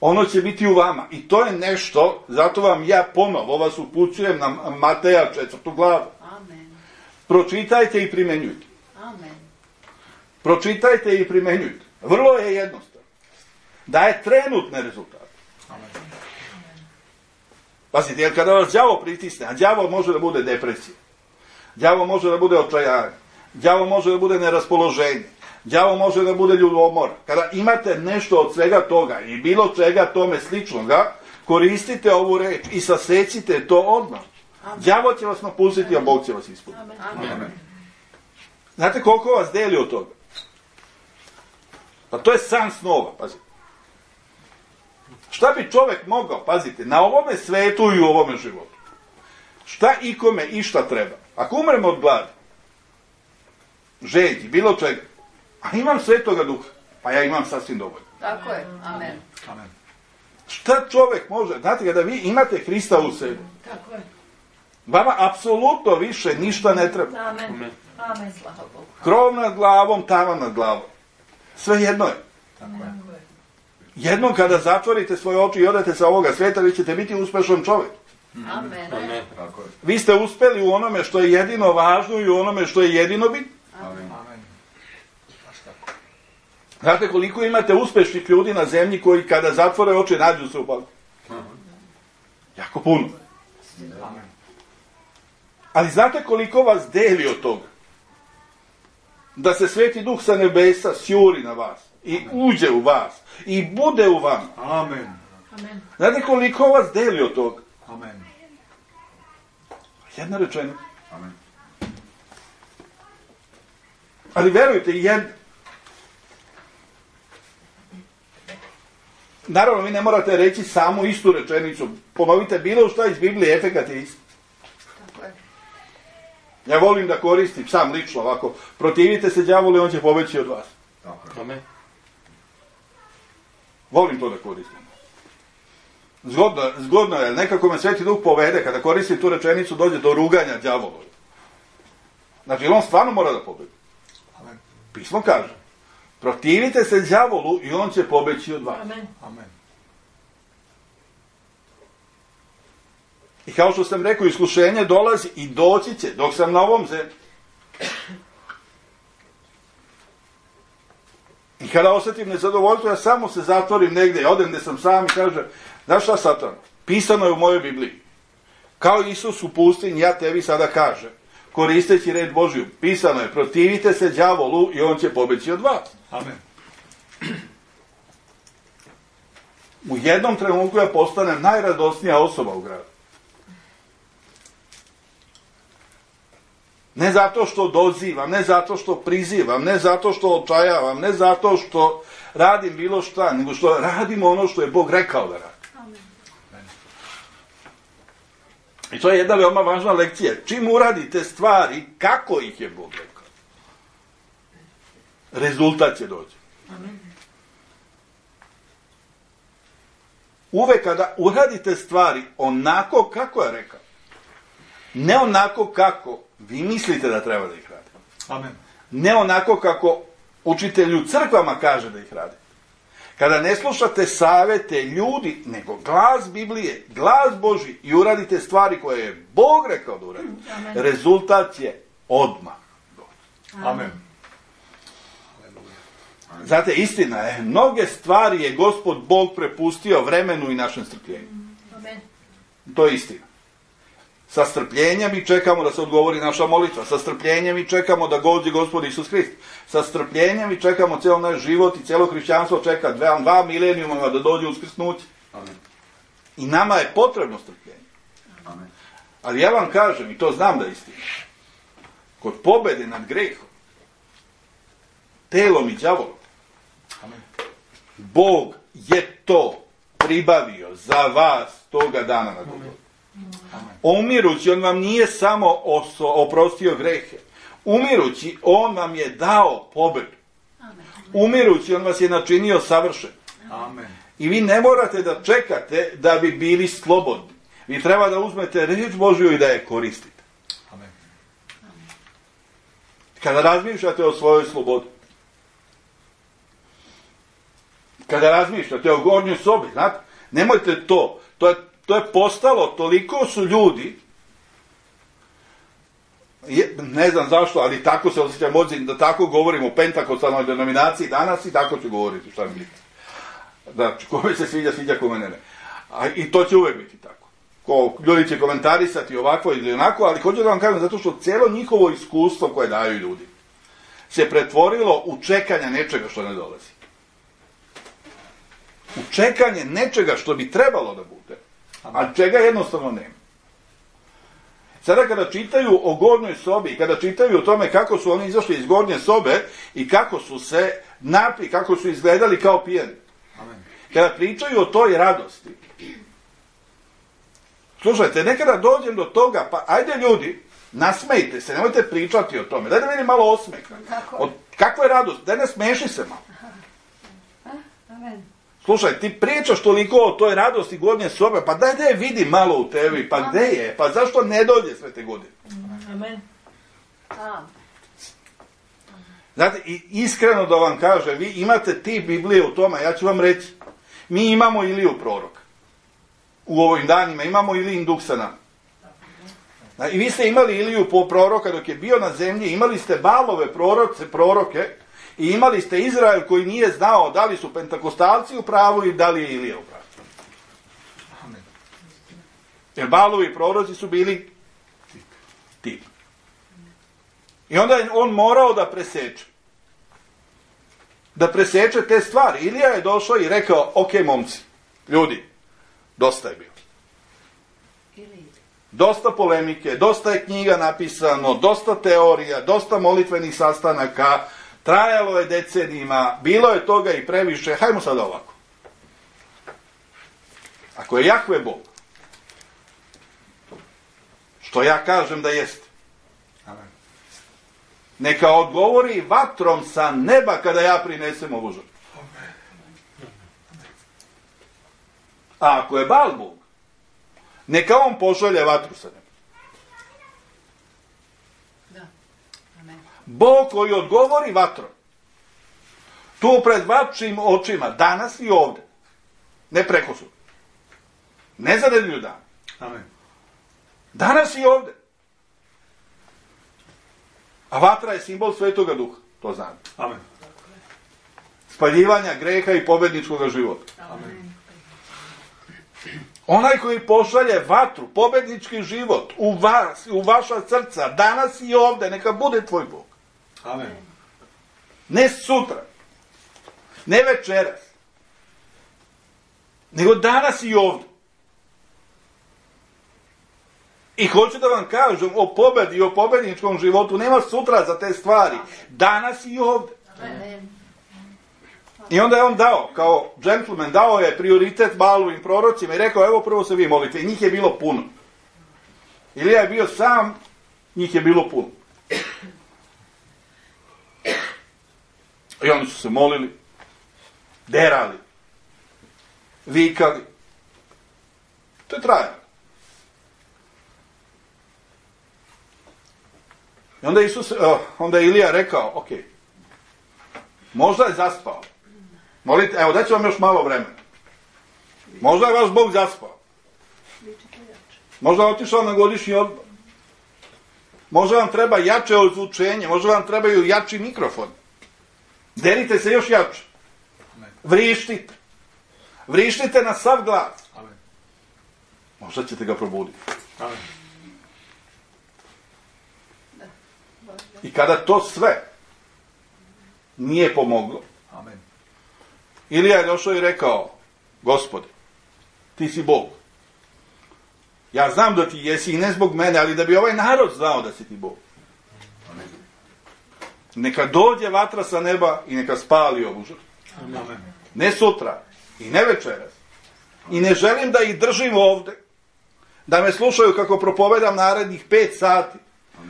Ono će biti u vama. I to je nešto, zato vam ja ponovo vas upućujem na Mateja 4. glavu. Amen. Pročitajte i primenjujte. Amen. Pročitajte i primenjujte. Vrlo je jednostavno. Daje trenutne rezultate. Amen. Pazite, jer kada vas đavo pritisne, a đavo može da bude depresija, đavo može da bude očajanje, đavo može da bude neraspoloženje, đavo može da bude ljubomora. Kada imate nešto od svega toga i bilo čega tome sličnoga, koristite ovu reč i sasecite to odmah. Đavo će vas napustiti, a Bog će vas ispuniti. Amen. Znate koliko vas deli od toga? Pa to je san snova, pazite. Šta bi čovjek mogao, pazite, na ovome svetu i u ovome životu? Šta ikome i šta treba? Ako umremo od gladi, žeđi, bilo čega, a imam Svetoga Duha, pa ja imam sasvim dovoljno. Tako je. Amen. Amen. Šta čovjek može? Znate, kada vi imate Hrista u sebi, Tako je. vama apsolutno više ništa ne treba. Amen. Amen, slava Bogu. Krov nad glavom, tavan nad glavom. Sve jedno je. Tako je. Jednom kada zatvorite svoje oči i odete sa ovoga svijeta, vi ćete biti uspešan čovjek. Amen. Amen. Tako je. Vi ste uspeli u onome što je jedino važno i u onome što je jedino bitno. Amen. Amen. Baš tako. Znate koliko imate uspešnih ljudi na zemlji koji kada zatvore oči nađu se u paklu? Jako puno. Ali znate koliko vas deli od toga? Da se Sveti Duh sa nebesa sjuri na vas i uđe u vas i bude u vama. Amen. Znate koliko vas deli od toga? Amen. Jedna rečenica. Amen. Ali verujte, naravno, vi ne morate reći samo istu rečenicu. Ponovite bilo šta iz Biblije, efekat je isti. Tako je. Ja volim da koristim, sam lično ovako, protivite se đavolu i on će pobeći od vas. Amen. Volim to da koristim. Zgodno je, nekako me Sveti Duh povede, kada koristim tu rečenicu, dođe do ruganja đavolu. Znači, on stvarno mora da pobedi. Amen. Pismo kaže, protivite se đavolu i on će pobeći od vas. Amen. Amen. I kao što sam rekao, iskušenje dolazi i doći će dok sam na ovom zemlji. I kada osjetim nezadovoljstvo, ja samo se zatvorim negdje, odem gdje sam sam i kažem, znaš šta, Satan, pisano je u mojoj Bibliji. Kao Isus u pustinji, ja tebi sada kažem, koristeći red Božiju, pisano je, protivite se đavolu i on će pobeći od vas. Amen. U jednom trenutku ja postanem najradosnija osoba u gradu. Ne zato što dozivam, ne zato što prizivam, ne zato što očajavam, ne zato što radim bilo šta, nego što radim ono što je Bog rekao da radim. Amen. I to je jedna veoma važna lekcija. Čim uradite stvari, kako ih je Bog rekao, rezultat će doći. Amen. Uvek kada uradite stvari onako kako je rekao, ne onako kako vi mislite da treba da ih radite. Amen. Ne onako kako učitelj u crkvama kaže da ih radi. Kada ne slušate savete ljudi, nego glas Biblije, glas Božji i uradite stvari koje je Bog rekao da uradite, Amen. rezultat je odmah. Amen. Znate, istina je, mnoge stvari je Gospod Bog prepustio vremenu i našem strpljenju. Amen. To je istina. Sa strpljenjem mi čekamo da se odgovori naša molitva. Sa strpljenjem mi čekamo da dođe Gospod Isus Hrist. Sa strpljenjem mi čekamo cijel naš život i cijelo hrišćanstvo čeka 2 milenijuma da dođe uskrsnuće. Amen. I nama je potrebno strpljenje. Amen. Ali ja vam kažem, i to znam da je istina, kod pobede nad grehom, telom i đavolom, Amen. Bog je to pribavio za vas toga dana na Golgotu. Umirući, on vam nije samo oprostio grehe. Umirući, on vam je dao pobedu. Umirući, on vas je načinio savršen. Amen. I vi ne morate da čekate da bi bili slobodni. Vi treba da uzmete reč Božju i da je koristite. Amen. Kada razmišljate o svojoj slobodi, kada razmišljate o gornjoj sobi, znate, nemojte to. To je postalo, toliko su ljudi, ne znam zašto, ali tako se osjećam odzim da tako govorimo o pentakostalnoj denominaciji danas i tako ću govoriti, šta mi biti. Znači, kome se sviđa, kome ne. I to će uvek biti tako. Ljudi će komentarisati ovako ili onako, ali hoću da vam kažem, zato što cijelo njihovo iskustvo koje daju ljudi se pretvorilo u čekanje nečega što ne dolazi. U čekanje nečega što bi trebalo da bude, a čega jednostavno nema. Sada kada čitaju o gornjoj sobi, kada čitaju o tome kako su oni izašli iz gornje sobe i kako su se napili, kako su izgledali kao pijani. Kada pričaju o toj radosti, slušajte, nekada dođem do toga, pa ajde ljudi, nasmejte se, nemojte pričati o tome, daj da vidim malo osmeha. Kakva je radost? Daj ne smeši se malo. Amen. Slušaj, ti pričaš toliko o toj radosti gornje sobe, pa daj da je vidi malo u tebi, pa gde je, pa zašto ne dođe sve te godine? Amen. Znate, i iskreno da vam kažem, vi imate ti Biblije u tome, ja ću vam reći, mi imamo Iliju proroka. U ovim danima imamo Ilijin duh sa nama. I vi ste imali Iliju proroka dok je bio na zemlji, imali ste Balove proroke i imali ste Izrael koji nije znao da li su pentakostalci u pravu i da li je Ilija u pravu. Amen. Jer Baalovi proroci su bili tip. I onda je on morao da preseče. Da preseče te stvari. Ilija je došao i rekao, ok, momci, ljudi, dosta je bilo. Dosta polemike, dosta je knjiga napisano, dosta teorija, dosta molitvenih sastanaka, trajalo je decenijima, bilo je toga i previše, hajmo sada ovako. Ako je Jahve Bog, što ja kažem da jeste, Amen. neka odgovori vatrom sa neba kada ja prinesem ovu žrtvu. A ako je Baal Bog, neka on pošalje vatru sa neba. Da. Amen. Bog koji odgovori vatrom, tu pred vašim očima, danas i ovde, ne preko sutra, ne za nedelju dana, Amen. danas i ovde. A vatra je simbol Svetoga Duha, to znam. Amen. Spaljivanja greha i pobedničkog života. Amen. Onaj koji pošalje vatru, pobednički život u vas, u vaša srca, danas i ovde, neka bude tvoj Bog. Amen. Ne sutra, ne večeras, nego danas i ovde. I hoću da vam kažem o pobedi i o pobedničkom životu, nema sutra za te stvari, danas i ovde. Amen. I onda je on dao, kao džentlmen, dao je prioritet Baalovim prorocima i rekao, evo prvo se vi molite. I njih je bilo puno. Ilija je bio sam, njih je bilo puno. I oni su se molili, derali, vikali. To je trajalo. I onda je Ilija rekao, ok, možda je zaspao. Molite, evo, daću vam još malo vremena. Možda je vaš Bog zaspao. Možda je otišao na godišnji odmor. Možda vam treba jače ozvučenje, možda vam trebaju jači mikrofon. Derite se još jače. Vrištite. Vrištite na sav glas. Amen. Možda ćete ga probuditi. Amen. I kada to sve nije pomoglo, Amen. Ilija je došao i rekao, Gospode, ti si Bog. Ja znam da ti jesi i ne zbog mene, ali da bi ovaj narod znao da si ti Bog. Amen. Neka dođe vatra sa neba i neka spali ovu žrtvu. Amen. Ne sutra i ne večeras. I ne želim da ih držim ovde, da me slušaju kako propovedam narednih 5 sati,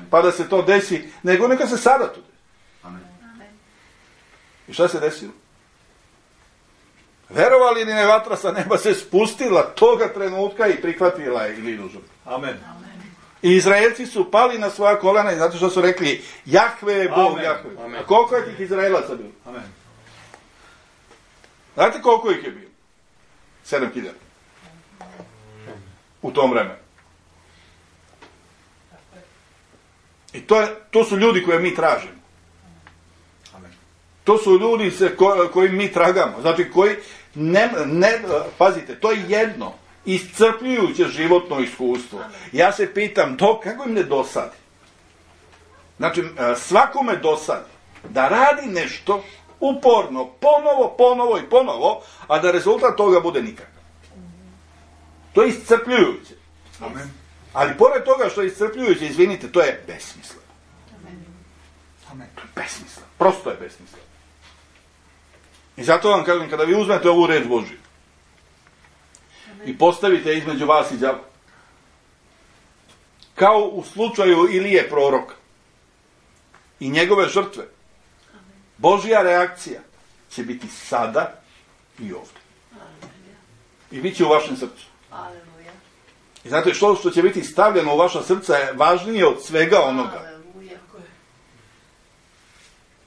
pa da se to desi, nego neka se sada to desi. Amen. I šta se desilo? Verovali li ne, vatra sa neba se spustila toga trenutka i prihvatila je Ilinu žrtvu. Amen. I Izraelci su pali na svoja kolena i zato što su rekli, Jahve je Bog, Amen. Jahve. Amen. A koliko je tih Izraelaca bilo? Amen. Znate koliko ih je bilo? 7.000. U tom vremenu. I to su ljudi koje mi tražimo. Amen. To su ljudi kojim mi tragamo. Znači koji pazite, to je jedno iscrpljujuće životno iskustvo. Ja se pitam, kako im ne dosadi? Znači, svakome dosadi da radi nešto uporno, ponovo, a da rezultat toga bude nikakav. To je iscrpljujuće. Amen. Ali pored toga što je iscrpljujuće, izvinite, to je besmisleno. Amen. Besmisleno. Prosto je besmisleno. I zato vam kažem, kada vi uzmete ovu reč Božju i postavite između vas i đavola, kao u slučaju Ilije proroka i njegove žrtve, Božja reakcija će biti sada i ovdje. I bit će u vašem srcu. Aleluja. I znate, što će biti stavljeno u vaša srca je važnije od svega onoga. Aleluja.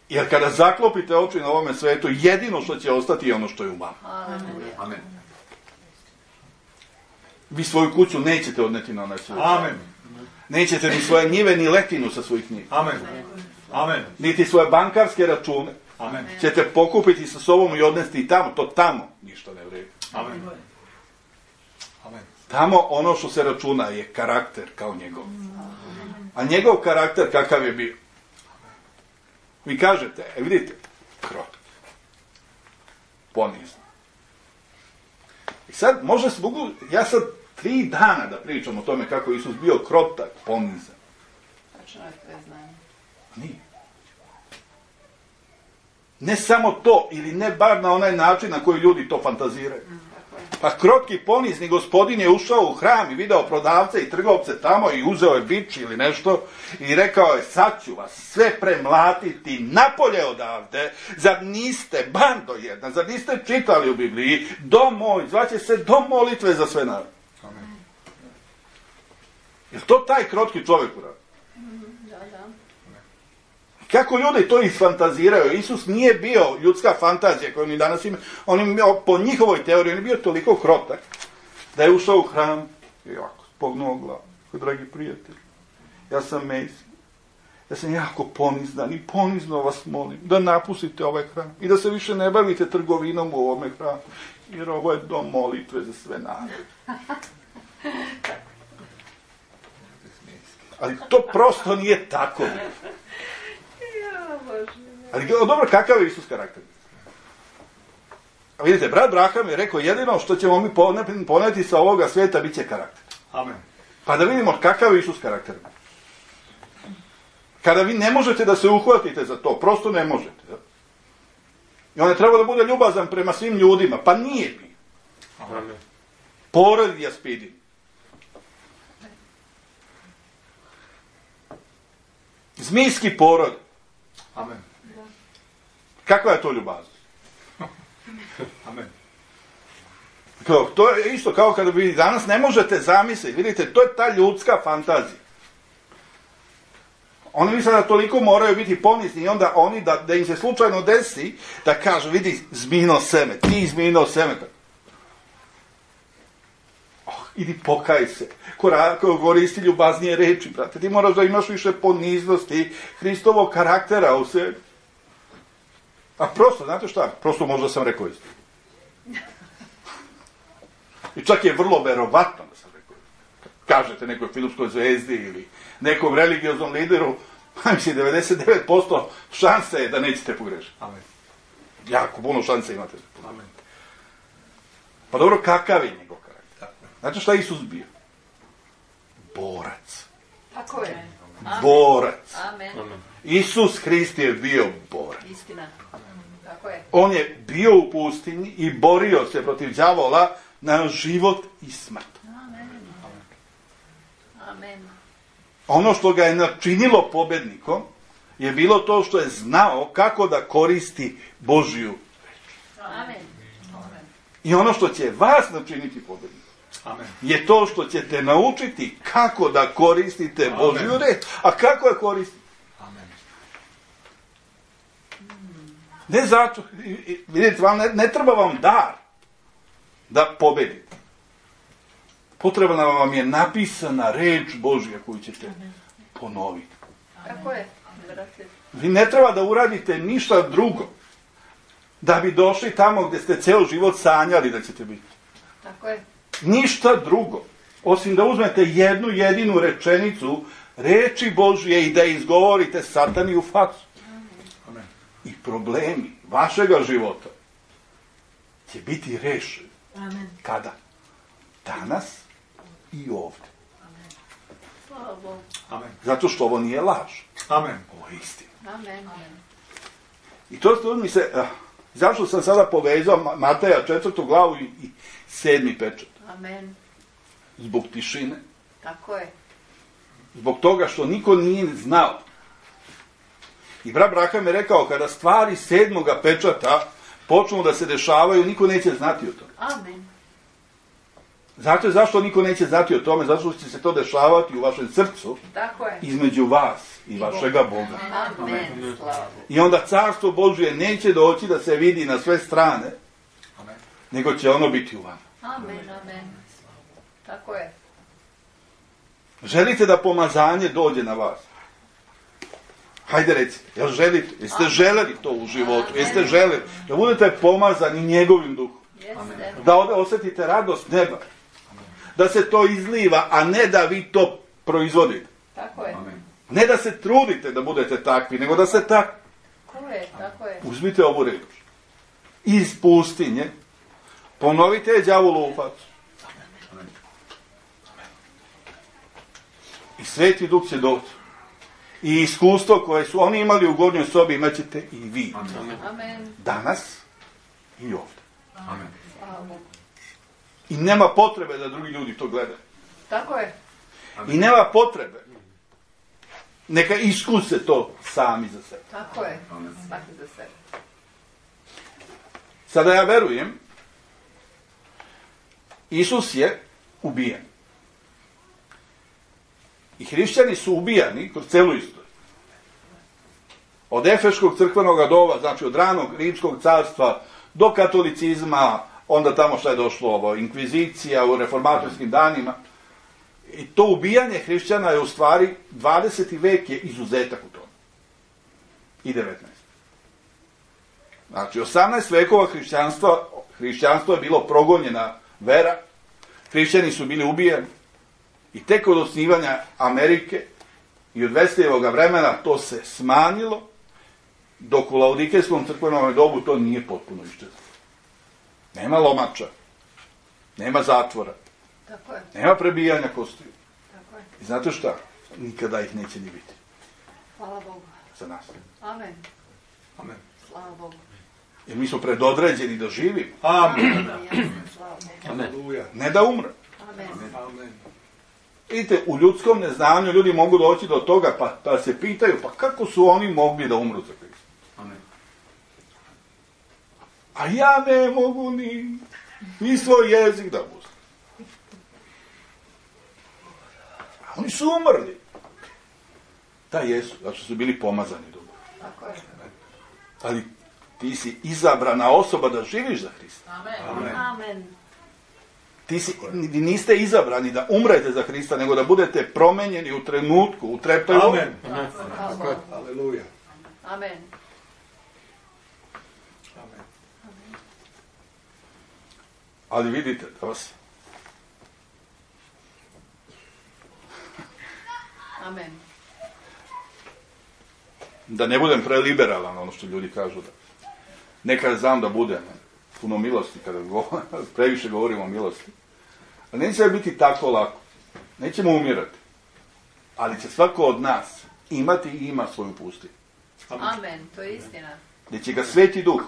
Jer kada zaklopite oči na ovome svetu, jedino što će ostati je ono što je u vama. Aleluja. Amen. Vi svoju kuću nećete odneti na onaj svijet. Amen. Nećete ni svoje njive, ni letinu sa svojih njiva. Amen. Amen. Niti svoje bankarske račune. Amen. ćete pokupiti sa sobom i odnesti i tamo. To tamo ništa ne vredi. Amen. Amen. Tamo ono što se računa je karakter kao njegov. A njegov karakter kakav je bio? Vi kažete, vidite, krotk, ponizan. I sad, ja sad 3 dana da pričam o tome kako je Isus bio krotak, ponizan. Tačno je tvoje znanje. Nije. Ne samo to, ili ne bar na onaj način na koji ljudi to fantaziraju. Pa krotki, ponizni gospodin je ušao u hram i video prodavce i trgovce tamo i uzeo je bič ili nešto i rekao je, sad ću vas sve premlatiti napolje odavde, zar niste, bando jedna, zar niste čitali u Bibliji, dom moj, zvaće se dom molitve za sve narode. Amen. Je to taj krotki čovjek uradi? Da, da. Kako ljudi to isfantaziraju? Isus nije bio ljudska fantazija koju mi danas imamo. On je po njihovoj teoriji, on je bio toliko krotak da je ušao u hram i ovako spognuo glavu. Dragi prijatelji, ja sam Mesija. Ja sam jako ponizdan i ponizno vas molim da napustite ovaj hram i da se više ne bavite trgovinom u ovome hramu. Jer ovo je dom molitve za sve narode. Ali to prosto nije tako. Ali dobro, kakav je Isus karakter? A vidite, brat Braham je rekao, jedino što ćemo mi poneti sa ovoga svijeta bit će karakter. Amen. Pa da vidimo kakav je Isus karakter. Kada vi ne možete da se uhvatite za to, prosto ne možete. Da? I on je trebao da bude ljubazan prema svim ljudima, pa nije bio. Amen. Porod jaspidi. Zmijski porod. Amen. Kakva je to ljubaznost? Amen. To je isto kao kada vi danas ne možete zamisliti. Vidite, to je ta ljudska fantazija. Oni misle da toliko moraju biti ponizni i onda oni da im se slučajno desi da kažu, vidi, zmijino seme, ti zmijino seme. Idi pokaj se. Koristi ljubaznije reči, brate. Ti moraš da imaš više poniznosti, Hristovog karaktera u sebi. A prosto, znate šta? Prosto možda sam rekao isto. I čak je vrlo verovatno da sam rekao isto. Kažete nekoj filmskoj zvezdi ili nekom religioznom lideru, mislim, 99% šanse je da nećete pogrešiti. Amen. Jako puno šanse imate. Amen. Pa dobro, kakav je njegov karakter? Znate šta je Isus bio? Borac. Tako je. Borac. Amen. Isus Hrist je bio borac. Istina. Tako je. On je bio u pustinji i borio se protiv đavola na život i smrt. Amen. Amen. Ono što ga je načinilo pobednikom je bilo to što je znao kako da koristi Božju reč. Amen. I ono što će vas načiniti pobednikom Amen. je to što ćete naučiti kako da koristite Božju reč. A kako je koristiti? Amen. Ne zato, vidite, ne treba vam dar da pobedite. Potrebna vam je napisana reč Božja koju ćete ponoviti. Tako je, brate. Vi ne treba da uradite ništa drugo da bi došli tamo gdje ste ceo život sanjali da ćete biti. Tako je. Ništa drugo. Osim da uzmete jednu jedinu rečenicu reči Božje i da izgovorite Satani u facu. Amen. I problemi vašega života će biti rešeni. Amen. Kada? Danas i ovdje. Slava Bogu. Amen. Zato što ovo nije laž. Amen. Ovo je istina. Amen. I to mi se... zašto sam sada povezao Mateja 4. glavu i 7. pečat? Amen. Zbog tišine. Tako je. Zbog toga što niko nije znao. I brat Braham je rekao, kada stvari 7. pečata počnu da se dešavaju, niko neće znati o tome. Amen. Zato je zašto niko neće znati o tome, zato što će se to dešavati u vašem srcu, Tako je. između vas i vašega Boga. Amen. Slava Bogu. I onda carstvo Božje neće doći da se vidi na sve strane, Amen. nego će ono biti u vama. Amen. Amen. Tako je. Želite da pomazanje dođe na vas? Hajde recite, jel želite? Jeste želeli to u životu? Jeste želeli da budete pomazani njegovim duhom? Jeste. Da osjetite radost neba? Da se to izliva, a ne da vi to proizvodite. Tako je. Ne da se trudite da budete takvi, nego da se tako. Tako je. Uzmite ovu reč. Iz pustinje ponovite je đavolu u facu. I Sveti Duh će doći. I iskustvo koje su oni imali u gornjoj sobi imat ćete i vi. Amen. Danas i ovdje. Amen. Slava Bogu. I nema potrebe da drugi ljudi to gledaju. Tako je. I nema potrebe. Neka iskuse to sami za sebe. Tako je. Svaki za sebe. Sada ja verujem, Isus je ubijen. I hrišćani su ubijani kroz celu istoriju. Od Efeškog crkvenog doba, znači od ranog rimskog carstva do katolicizma, onda tamo što je došlo inkvizicija u reformatorskim danima. I to ubijanje hrišćana je u stvari 20. vek je izuzetak u tome. I 19. Znači 18 vekova hrišćanstvo je bilo progonjena vera, hrišćani su bili ubijeni i tek od osnivanja Amerike i od Veslijevog vremena to se smanjilo, dok u Laodikejskom crkvenom dobu to nije potpuno iščezlo. Nema lomača, nema zatvora, Tako je. nema prebijanja kostiju. Tako je. I znate šta? Nikada ih neće ni biti Hvala Bogu. za nas. Amen. Amen. Slava Bogu. Jer mi smo predodređeni da živimo, Amen. Slava Bogu. Aleluja. ne da umre. Amen. Amen. Vidite, u ljudskom neznanju ljudi mogu doći do toga pa se pitaju, pa kako su oni mogli da umru za Krista? Amen. A ja ne mogu ni svoj jezik da pustim. A oni su umrli. Da, jesu, zato što su bili pomazani dobro. Tako je. Ali ti si izabrana osoba da živiš za Hrista. Amen. Amen. Niste izabrani da umrete za Hrista, nego da budete promenjeni u trenutku, u treptaju. Amen. Hvala Bogu. Aleluja. Amen. Amen. Ali vidite, Amen. da ne budem preliberalan, ono što ljudi kažu da nekad znam da budem puno milosti, kada previše govorimo o milosti. Ali neće biti tako lako. Nećemo umirati. Ali će svako od nas imati i ima svoju pustinju. Amen. To je istina. Gdje će ga Sveti Duh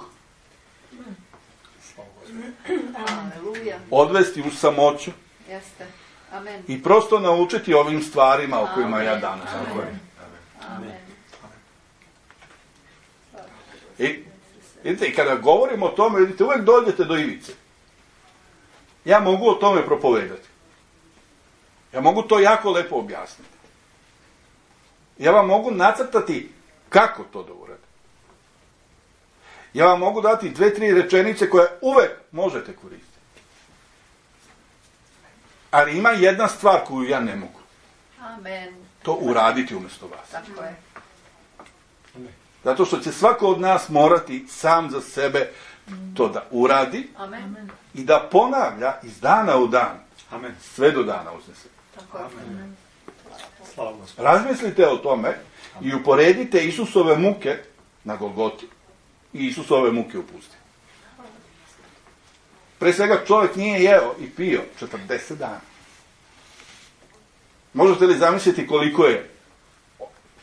Aleluja. odvesti u samoću Jeste. Amen. i prosto naučiti ovim stvarima o kojima ja danas govorim. Amen. I vidite, i kada govorimo o tome, vidite, uvijek dođete do ivice. Ja mogu o tome propovedati. Ja mogu to jako lepo objasniti. Ja vam mogu nacrtati kako to da uradite. Ja vam mogu dati 2-3 rečenice koje uvek možete koristiti. Ali ima jedna stvar koju ja ne mogu. Amen. To uraditi umjesto vas. Tako je. Zato što će svako od nas morati sam za sebe to da uradi Amen. i da ponavlja iz dana u dan, Amen. sve do dana uznese. Tako je. Slava Gospodu. Razmislite o tome i uporedite Isusove muke na Golgoti i Isusove muke u pustinji. Pre svega čovjek nije jeo i pio 40 dana. Možete li zamisliti koliko je,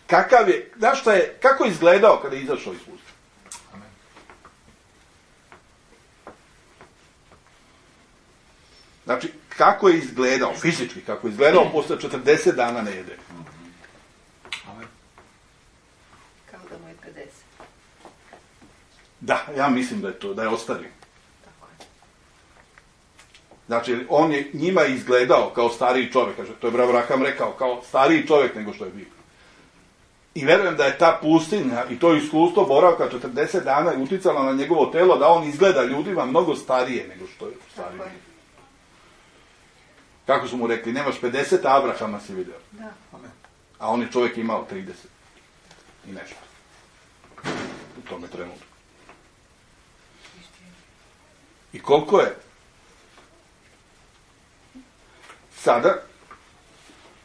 kakav je, znaš šta je, kako je izgledao kada je izašao iz pustinje? Znači, kako je izgledao, fizički, kako je izgledao posle 40 dana ne jede. Amen. Kao da mu je 50. Da, ja mislim da je to, da je ostario. Tako je. Znači, on je njima izgledao kao stariji čovjek, kaže, to je Abraham rekao, kao stariji čovjek nego što je bio. I verujem da je ta pustinja i to iskustvo boravka 40 dana i uticalo na njegovo telo da on izgleda ljudima mnogo starije nego što je stariji. Tako je. Kako su mu rekli, nemaš 50, a Abrahama si vidio. Da. Amen. A on je čovjek imao 30. i nešto. U tome trenutku. I koliko je? Sada,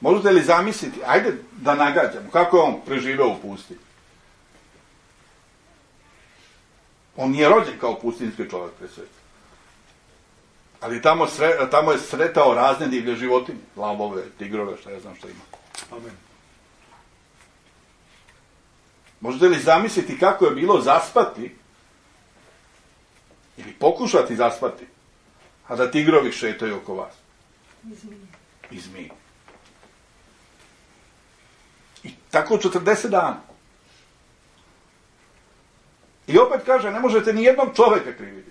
možete li zamisliti, ajde da nagađamo, kako je on preživeo u pustinji? On nije rođen kao pustinjski čovjek pre svega. Ali tamo je sretao razne divlje životinje, lavove, tigrove, šta ja znam šta ima. Amen. Možete li zamisliti kako je bilo zaspati ili pokušati zaspati, a da tigrovi šetaju oko vas? I zmije. I tako 40 dana. I opet kaže, ne možete ni jednog čovjeka kriviti.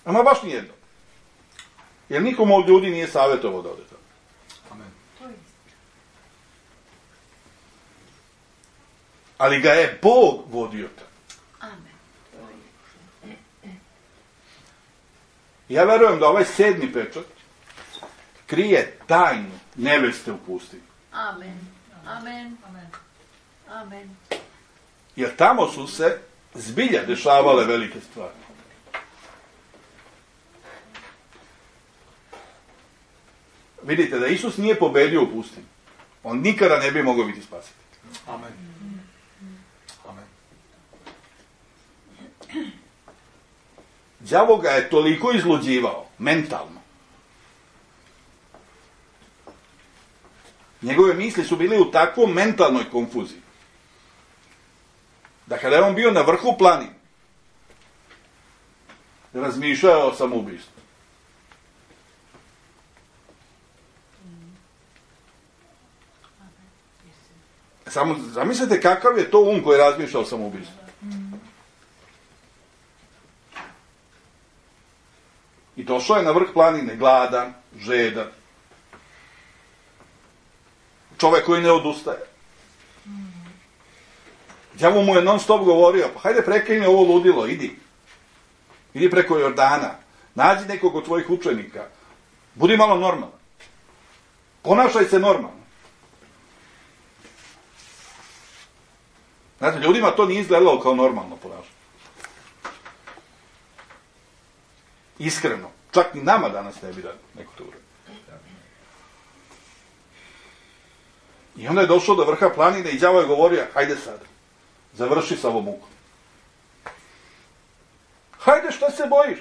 Ama baš ni jednog. Jer nikom od ljudi nije savjetovao da ode tamo. Amen. Ali ga je Bog vodio tamo. Amen. Ja verujem da ovaj 7. pečat krije tajnu neveste u pustinji. Amen. Amen. Amen. Jer tamo su se zbilja dešavale velike stvari. Vidite da Isus nije pobedio u pustinji. On nikada ne bi mogao biti spasen. Amen. Amen. Đavo ga je toliko izluđivao, mentalno. Njegove misli su bili u takvom mentalnoj konfuziji. Da kada je on bio na vrhu planine, razmišljao o samoubistvu. Samo zamislite kakav je to um koji razmišlja o samoubistvu. I došao je na vrh planine, gladan, žedan. Čovjek koji ne odustaje. Đavo mu je non stop govorio, pa hajde prekini ovo ludilo, idi. Idi preko Jordana, nađi nekog od tvojih učenika, budi malo normalan. Ponašaj se normalno. Znate, ljudima to nije izgledalo kao normalno ponašanje. Iskreno. Čak ni nama danas ne bi da neko to uradi. I onda je došao do vrha planine i đavo je govorio, hajde sad, završi sa ovom mukom. Hajde, šta se bojiš?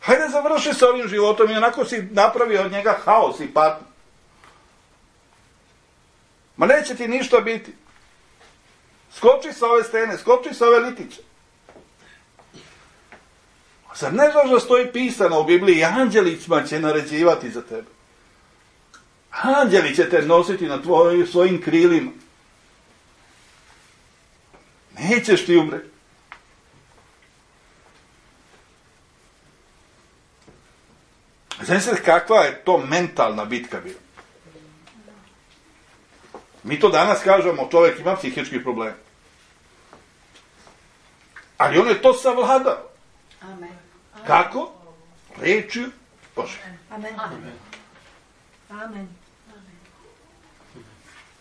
Hajde, završi sa ovim životom i onako si napravio od njega haos i patnju. Ma neće ti ništa biti. Skoči sa ove stene, skoči sa ove litiće. Zar ne znaš da stoji pisano u Bibliji, anđelicima će naređivati za tebe. Anđeli će te nositi na svojim krilima. Nećeš ti umreti. Znači kakva je to mentalna bitka bila. Mi to danas kažemo, čovjek ima psihički problem. Ali on je to savladao. Amen. Kako? Rečju Bože. Amen. Amen.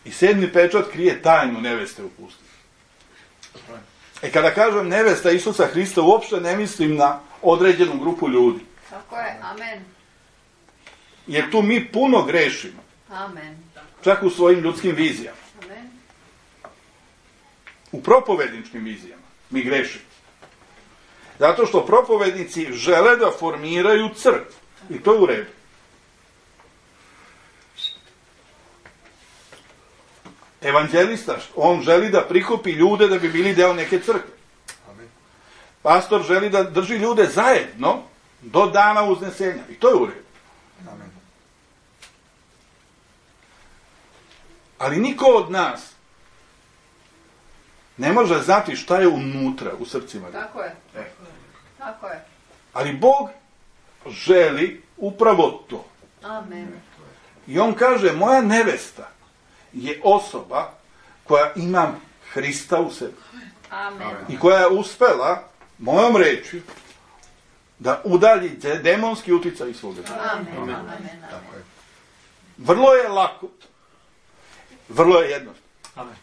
I 7. pečat krije tajnu neveste u pustinji. Kada kažem nevesta Isusa Hrista, uopšte ne mislim na određenu grupu ljudi. Tako je. Amen. Jer tu mi puno grešimo. Amen. Čak u svojim ljudskim vizijama. Amen. U propovedničkim vizijama mi grešimo. Zato što propovednici žele da formiraju crkvu. I to je u redu. Evanđelista, on želi da prikupi ljude da bi bili deo neke crkve. Pastor želi da drži ljude zajedno do dana uznesenja. I to je u redu. Amen. Ali niko od nas ne može znati šta je unutra u srcima. Tako je. Tako je. Ali Bog želi upravo to. Amen. I on kaže, moja nevesta je osoba koja ima Hrista u sebi. Amen. I koja je uspela mojom rečju da udalji demonski uticaj iz svoga. Amen. Amen. Tako je. Vrlo je lako Vrlo je jednostavno. Amen.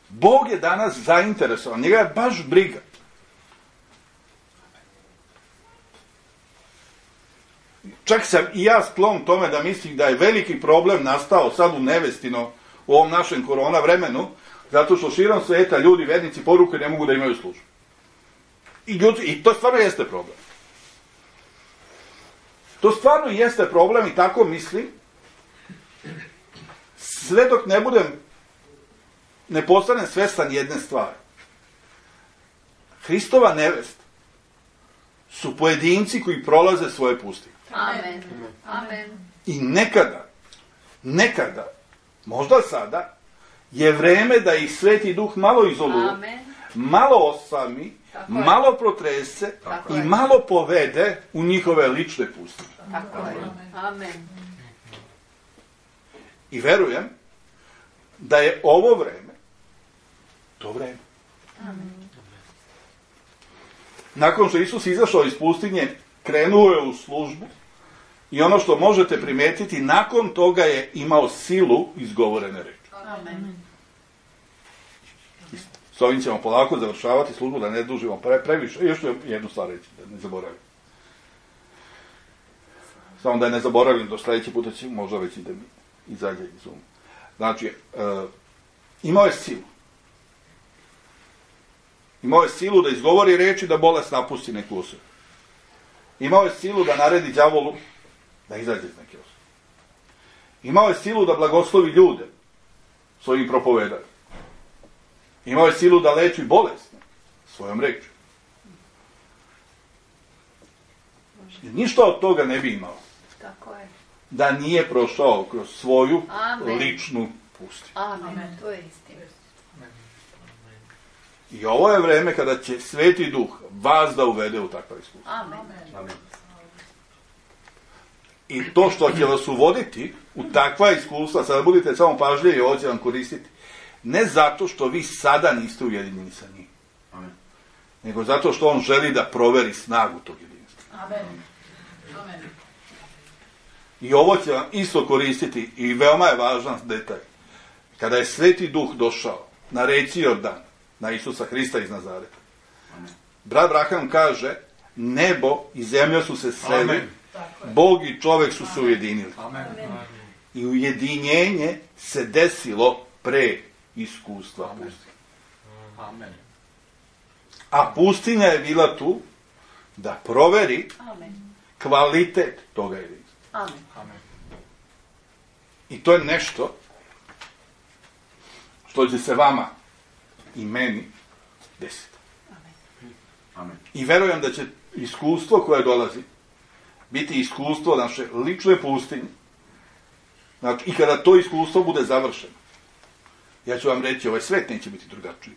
Bog je danas zainteresovan, njega je baš briga. Čak sam i ja sklon tome da mislim da je veliki problem nastao sad u nevestino u ovom našem korona vremenu, zato što širom sveta ljudi, vernici, poruke ne mogu da imaju službu. I to stvarno jeste problem. To stvarno jeste problem i tako mislim, sve dok ne postanem svestan jedne stvari. Hristova nevest su pojedinci koji prolaze svoje pustinje. Amen. Amen. I nekada, možda sada, je vreme da ih Sveti Duh malo izoluje, Amen. malo osami, Tako je. malo protrese Tako i je. malo povede u njihove lične pustinje. Tako je. Amen. I verujem da je ovo vreme, to vreme. Nakon što Isus izašao iz pustinje, krenuo je u službu i ono što možete primetiti, nakon toga je imao silu izgovorene reči. Amen. S ovim ćemo polako završavati službu, da ne dužimo previše. Još jednu stvar reći, da ne zaboravim. Samo da je ne zaboravim, do sljedeći puta će možda već da mi izađe iz uma. Znači, imao je silu. Imao je silu da izgovori reči, da bolest napusti neku osobu. Imao je silu da naredi đavolu da izađe iz neke osobe. Imao je silu da blagoslovi ljude svojim propovedanjem. Imao je silu da leči bolesne svojom rečju. Ništa od toga ne bi imao Tako je. da nije prošao kroz svoju Amen. ličnu pustinju. Amen. To je istina. I ovo je vreme kada će Sveti Duh vas da uvede u takva iskustva. Amen. Amen. I to što će vas uvoditi u takva iskustva, sada budite samo pažljivi, ovo će vam koristiti, ne zato što vi sada niste ujedinjeni sa njim, Amen. nego zato što on želi da proveri snagu tog jedinstva. Amen. Amen. I ovo će vam isto koristiti i veoma je važan detalj. Kada je Sveti Duh došao na reci Jordan, na Isusa Hrista iz Nazareta, brat Braham kaže, nebo i zemlja su se sreli, Amen. Tako je. Bog i čovek su se ujedinili. Amen. I ujedinjenje se desilo pre iskustva pustinje. Amen. A pustinja je bila tu da proveri Amen. kvalitet toga jedinstva. Amen. Amen. I to je nešto što će se vama i meni desiti. Amen. I verujem da će iskustvo koje dolazi biti iskustvo naše lične pustinje. Znači, i kada to iskustvo bude završeno, ja ću vam reći, ovaj svet neće biti drugačiji.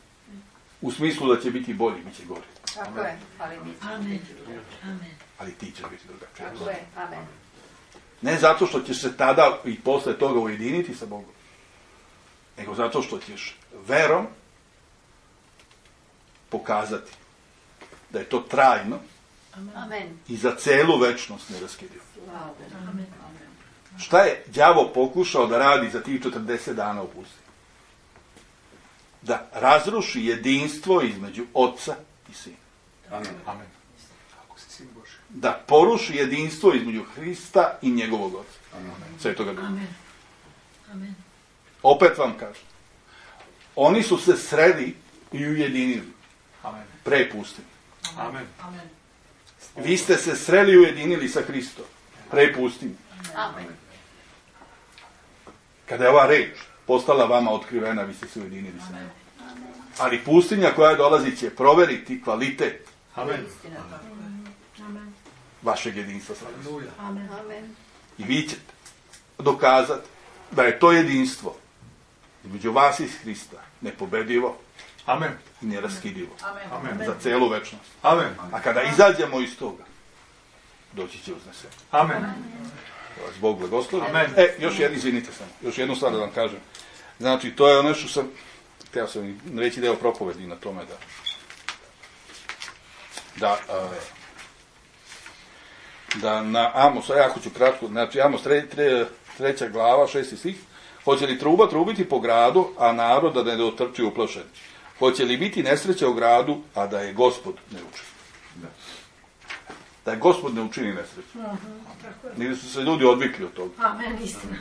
U smislu da će biti bolji, bit će gori. Tako je. Ali mi ćemo Amen. biti drugačiji. Amen. Ali ti će biti drugačiji. Tako je. Amen. Ne zato što ćeš se tada i posle toga ujediniti sa Bogom, nego zato što ćeš verom pokazati da je to trajno Amen. i za celu večnost neraskidivo. Amen. Šta je đavo pokušao da radi za tih 40 dana u pustinji? Da razruši jedinstvo između Oca i Sina. Amen. Amen. Kako si sin Boži. Da poruši jedinstvo između Hrista i njegovog Oca. Amen. Svetoga Duha. Amen. Amen. Opet vam kažem. Oni su se sreli i ujedinili Amen. pre pustinje. Amen. Amen. Vi ste se sreli i ujedinili sa Hristom pre pustinje. Amen. Kada je ova reč postala vama otkrivena, vi ste se ujedinili sa njom. Ali pustinja koja dolazi će proveriti kvalitet Amen. Istina. Amen. vašeg jedinstva sa Hristom. Aleluja. Amen. Amen. I vi ćete dokazati da je to jedinstvo između vas i Hrista nepobedivo Amen. i neraskidivo Amen. za celu večnost. Amen. A kada izađemo iz toga, doći će uznesenje. Amen. Da vas Bog blagoslovi. Amen. Izvinite samo, još jednu stvar da vam kažem. Znači, to je ono što sam, htio sam reći deo propovedi na tome da na Amos, jako ću kratko, znači Amos 3. glava, 6. stih. Hoće li truba trubiti po gradu, a narod da ne dotrči uplašen? Hoće li biti nesreća u gradu, a da je Gospod ne učini? Da je Gospod ne učini nesreću. Nigde su se ljudi odvikli od toga. Amen, istina.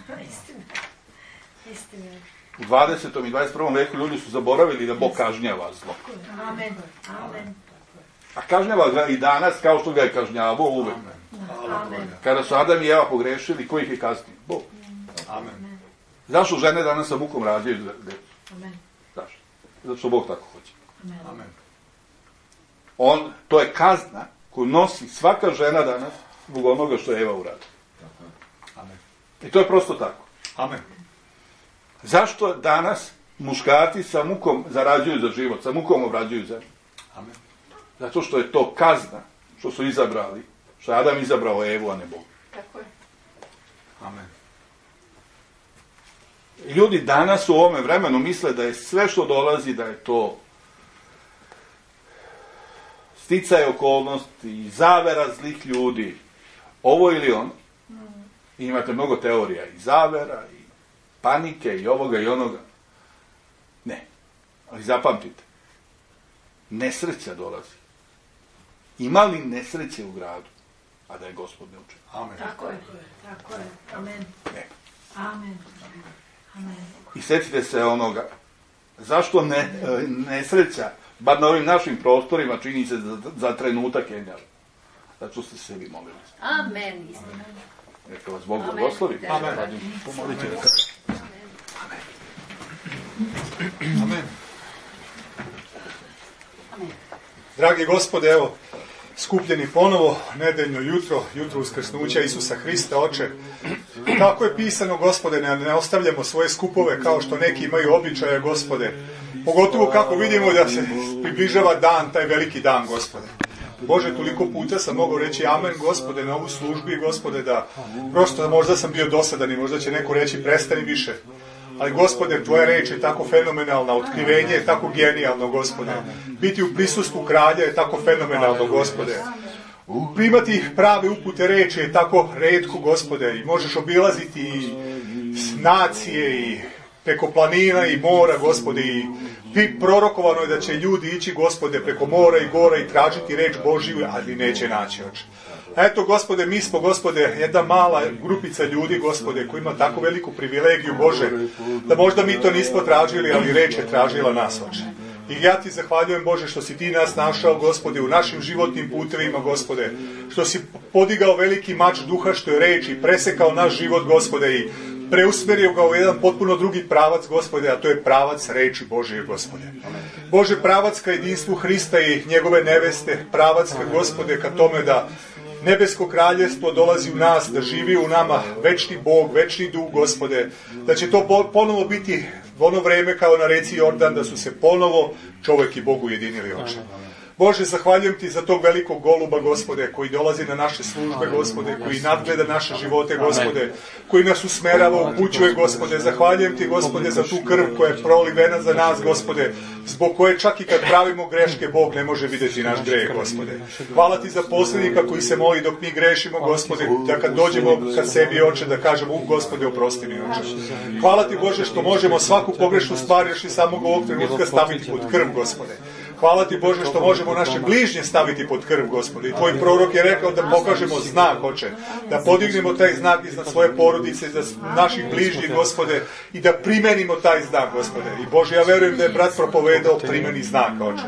Istina. U 20. i 21. veku ljudi su zaboravili da Bog kažnjava zlo. Amen. A kažnjava ga i danas kao što ga je kažnjavao uvek. Amen. Kada su Adam i Eva pogrešili, ko ih je kaznio? Bog. Amen. Zašto žene danas sa mukom rađaju decu? Amen. Zašto? Zato što Bog tako hoće. Amen. To je kazna koju nosi svaka žena danas zbog onoga što je Eva uradila. Amen. I to je prosto tako. Amen. Zašto danas muškarci sa mukom zarađuju za život, sa mukom obrađuju zemlju? Amen. Zato što je to kazna što su izabrali, što je Adam izabrao Evu, a ne Bog. Tako je. Amen. Ljudi danas u ovome vremenu misle da je sve što dolazi, da je to sticaj okolnosti, zavera zlih ljudi, ovo ili ono. I imate mnogo teorija i zavera, i panike, i ovoga i onoga. Ne. Ali zapamtite, nesreća dolazi. Ima li nesreće u gradu, a da je Gospod ne učini? Amen. Tako je. Amen. Ne. Amen. I sjetite se onoga, zašto nesreća, bar na ovim našim prostorima, čini se za trenutak jenjava? Zato što ste se vi molili. Amen, istina. Neka vas Bog blagoslovi. Amen. Pomolite ga. Amen. Dragi Gospode, evo, skupljeni ponovo, nedeljno jutro, jutro uskrsnuća Isusa Hrista, Oče. Kako je pisano, Gospode, ne ostavljamo svoje skupove kao što neki imaju običaja, Gospode. Pogotovo kako vidimo da se približava dan, taj veliki dan, Gospode. Bože, toliko puta sam mogao reći amen, Gospode, na ovu službi, Gospode, da prosto možda sam bio dosadan i možda će neko reći prestani više. Ali, Gospode, Tvoja reč je tako fenomenalna, otkrivenje je tako genijalno, Gospode. Biti u prisustvu kralja je tako fenomenalno, Gospode. Primati prave upute reči je tako retko, Gospode, i možeš obilaziti i nacije i preko planina i mora, Gospode, i prorokovano je da će ljudi ići, Gospode, preko mora i gora i tražiti reč Božiju, ali neće naći, Oče. Eto, Gospode, mi smo, Gospode, jedna mala grupica ljudi, Gospode, koji ima tako veliku privilegiju, Bože, da možda mi to nismo tražili, ali reč je tražila nas, Oče. I ja Ti zahvaljujem, Bože, što si Ti nas našao, Gospode, u našim životnim putevima, Gospode, što si podigao veliki mač duha, što je reč, i presekao naš život, Gospode, i preusmerio ga u jedan potpuno drugi pravac, Gospode, a to je pravac reči Božije, Gospode. Bože, pravac ka jedinstvu Hrista i njegove neveste, pravac ka, Gospode, ka tome da nebesko kraljevstvo dolazi u nas, da živi u nama večni Bog, večni duh, Gospode, da će to ponovo biti ono vreme kao na reci Jordan, da su se ponovo čovjek i Bog ujedinili, Oče. Bože, zahvaljujem Ti za tog velikog goluba, Gospode, koji dolazi na naše službe, Gospode, koji nadgleda naše živote, Gospode, koji nas usmerava, upućuje, Gospode. Zahvaljujem Ti, Gospode, za tu krv koja je prolivena za nas, Gospode, zbog koje čak i kad pravimo greške, Bog ne može vidjeti naš greh, Gospode. Hvala Ti za poslanika koji se moli dok mi grešimo, Gospode, da kad dođemo ka sebi, Oče, da kažemo, Gospode, oprosti mi, Oče. Hvala Ti, Bože, što možemo svaku pogrešnu stvar još i samog ovog trenutka staviti pod krv, Gospode. Hvala Ti, Bože, što možemo naše bližnje staviti pod krv, Gospode. I Tvoj prorok je rekao da pokažemo znak, Oče, da podignemo taj znak iznad svoje porodice, iznad naših bližnjih, Gospode, i da primenimo taj znak, Gospode. I Bože, ja verujem da je brat propovedao primeni znaka, Oče.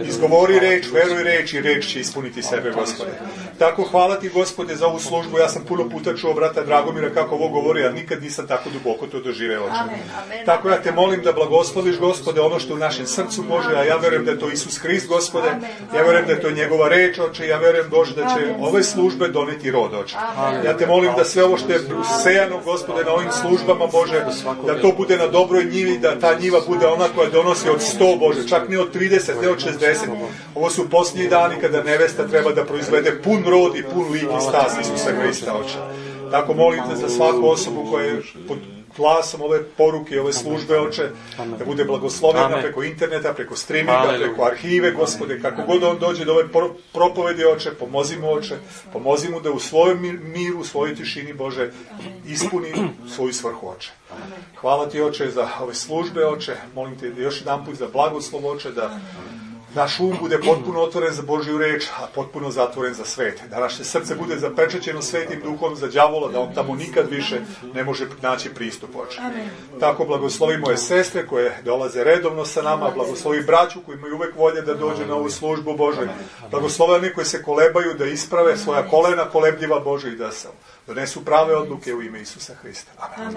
Izgovori reč, veruj reč i reč će ispuniti sebe, Gospode. Tako, hvala Ti, Gospode, za ovu službu. Ja sam puno puta čuo brata Dragomira kako ovo govori, a nikad nisam tako duboko to doživeo, Oče. Tako ja Te molim da blagosloviš, Gospode, ono što je u našem srcu, Bože, a ja verujem da je to Isus Hrist, Gospode. Ja verujem da je to njegova reč, Oče. Ja verujem, Bože, da će ove službe doneti rod, Oče. Ja Te molim da sve ovo što je sejano, Gospode, na ovim službama, Bože, da to bude na dobroj njivi, da ta njiva bude ona koja donosi od 100, Bože, čak ne od 30, ne od 60. Ovo su posljednji dani kada nevesta treba da proizvede pun rod i pun lik i stas Isusa Hrista, Oče. Tako molim Te za svaku osobu glasom ove poruke, ove službe, Oče, da bude blagoslovljena preko interneta, preko streaminga, preko arhive, Gospode, kako god on dođe do ove propovedi, Oče, pomozi mu, Oče, pomozi mu da u svojem miru, u svojoj tišini, Bože, ispuni svoju svrhu, Oče. Hvala ti, Oče, za ove službe, Oče, molim te još jedan put za blagoslov, Oče, da naš um bude potpuno otvoren za Božju reč, a potpuno zatvoren za svet. Da naše srce bude zapečaćeno Svetim Duhom za đavola, da on tamo nikad više ne može naći pristup, Oče. Tako blagoslovi moje sestre koje dolaze redovno sa nama, blagoslovi braću koji imaju uvek volje da dođe na ovu službu, Bože. Blagoslovi oni koji se kolebaju da isprave svoja kolena kolebljiva, Bože, i da donesu prave odluke u ime Isusa Hrista. Amen.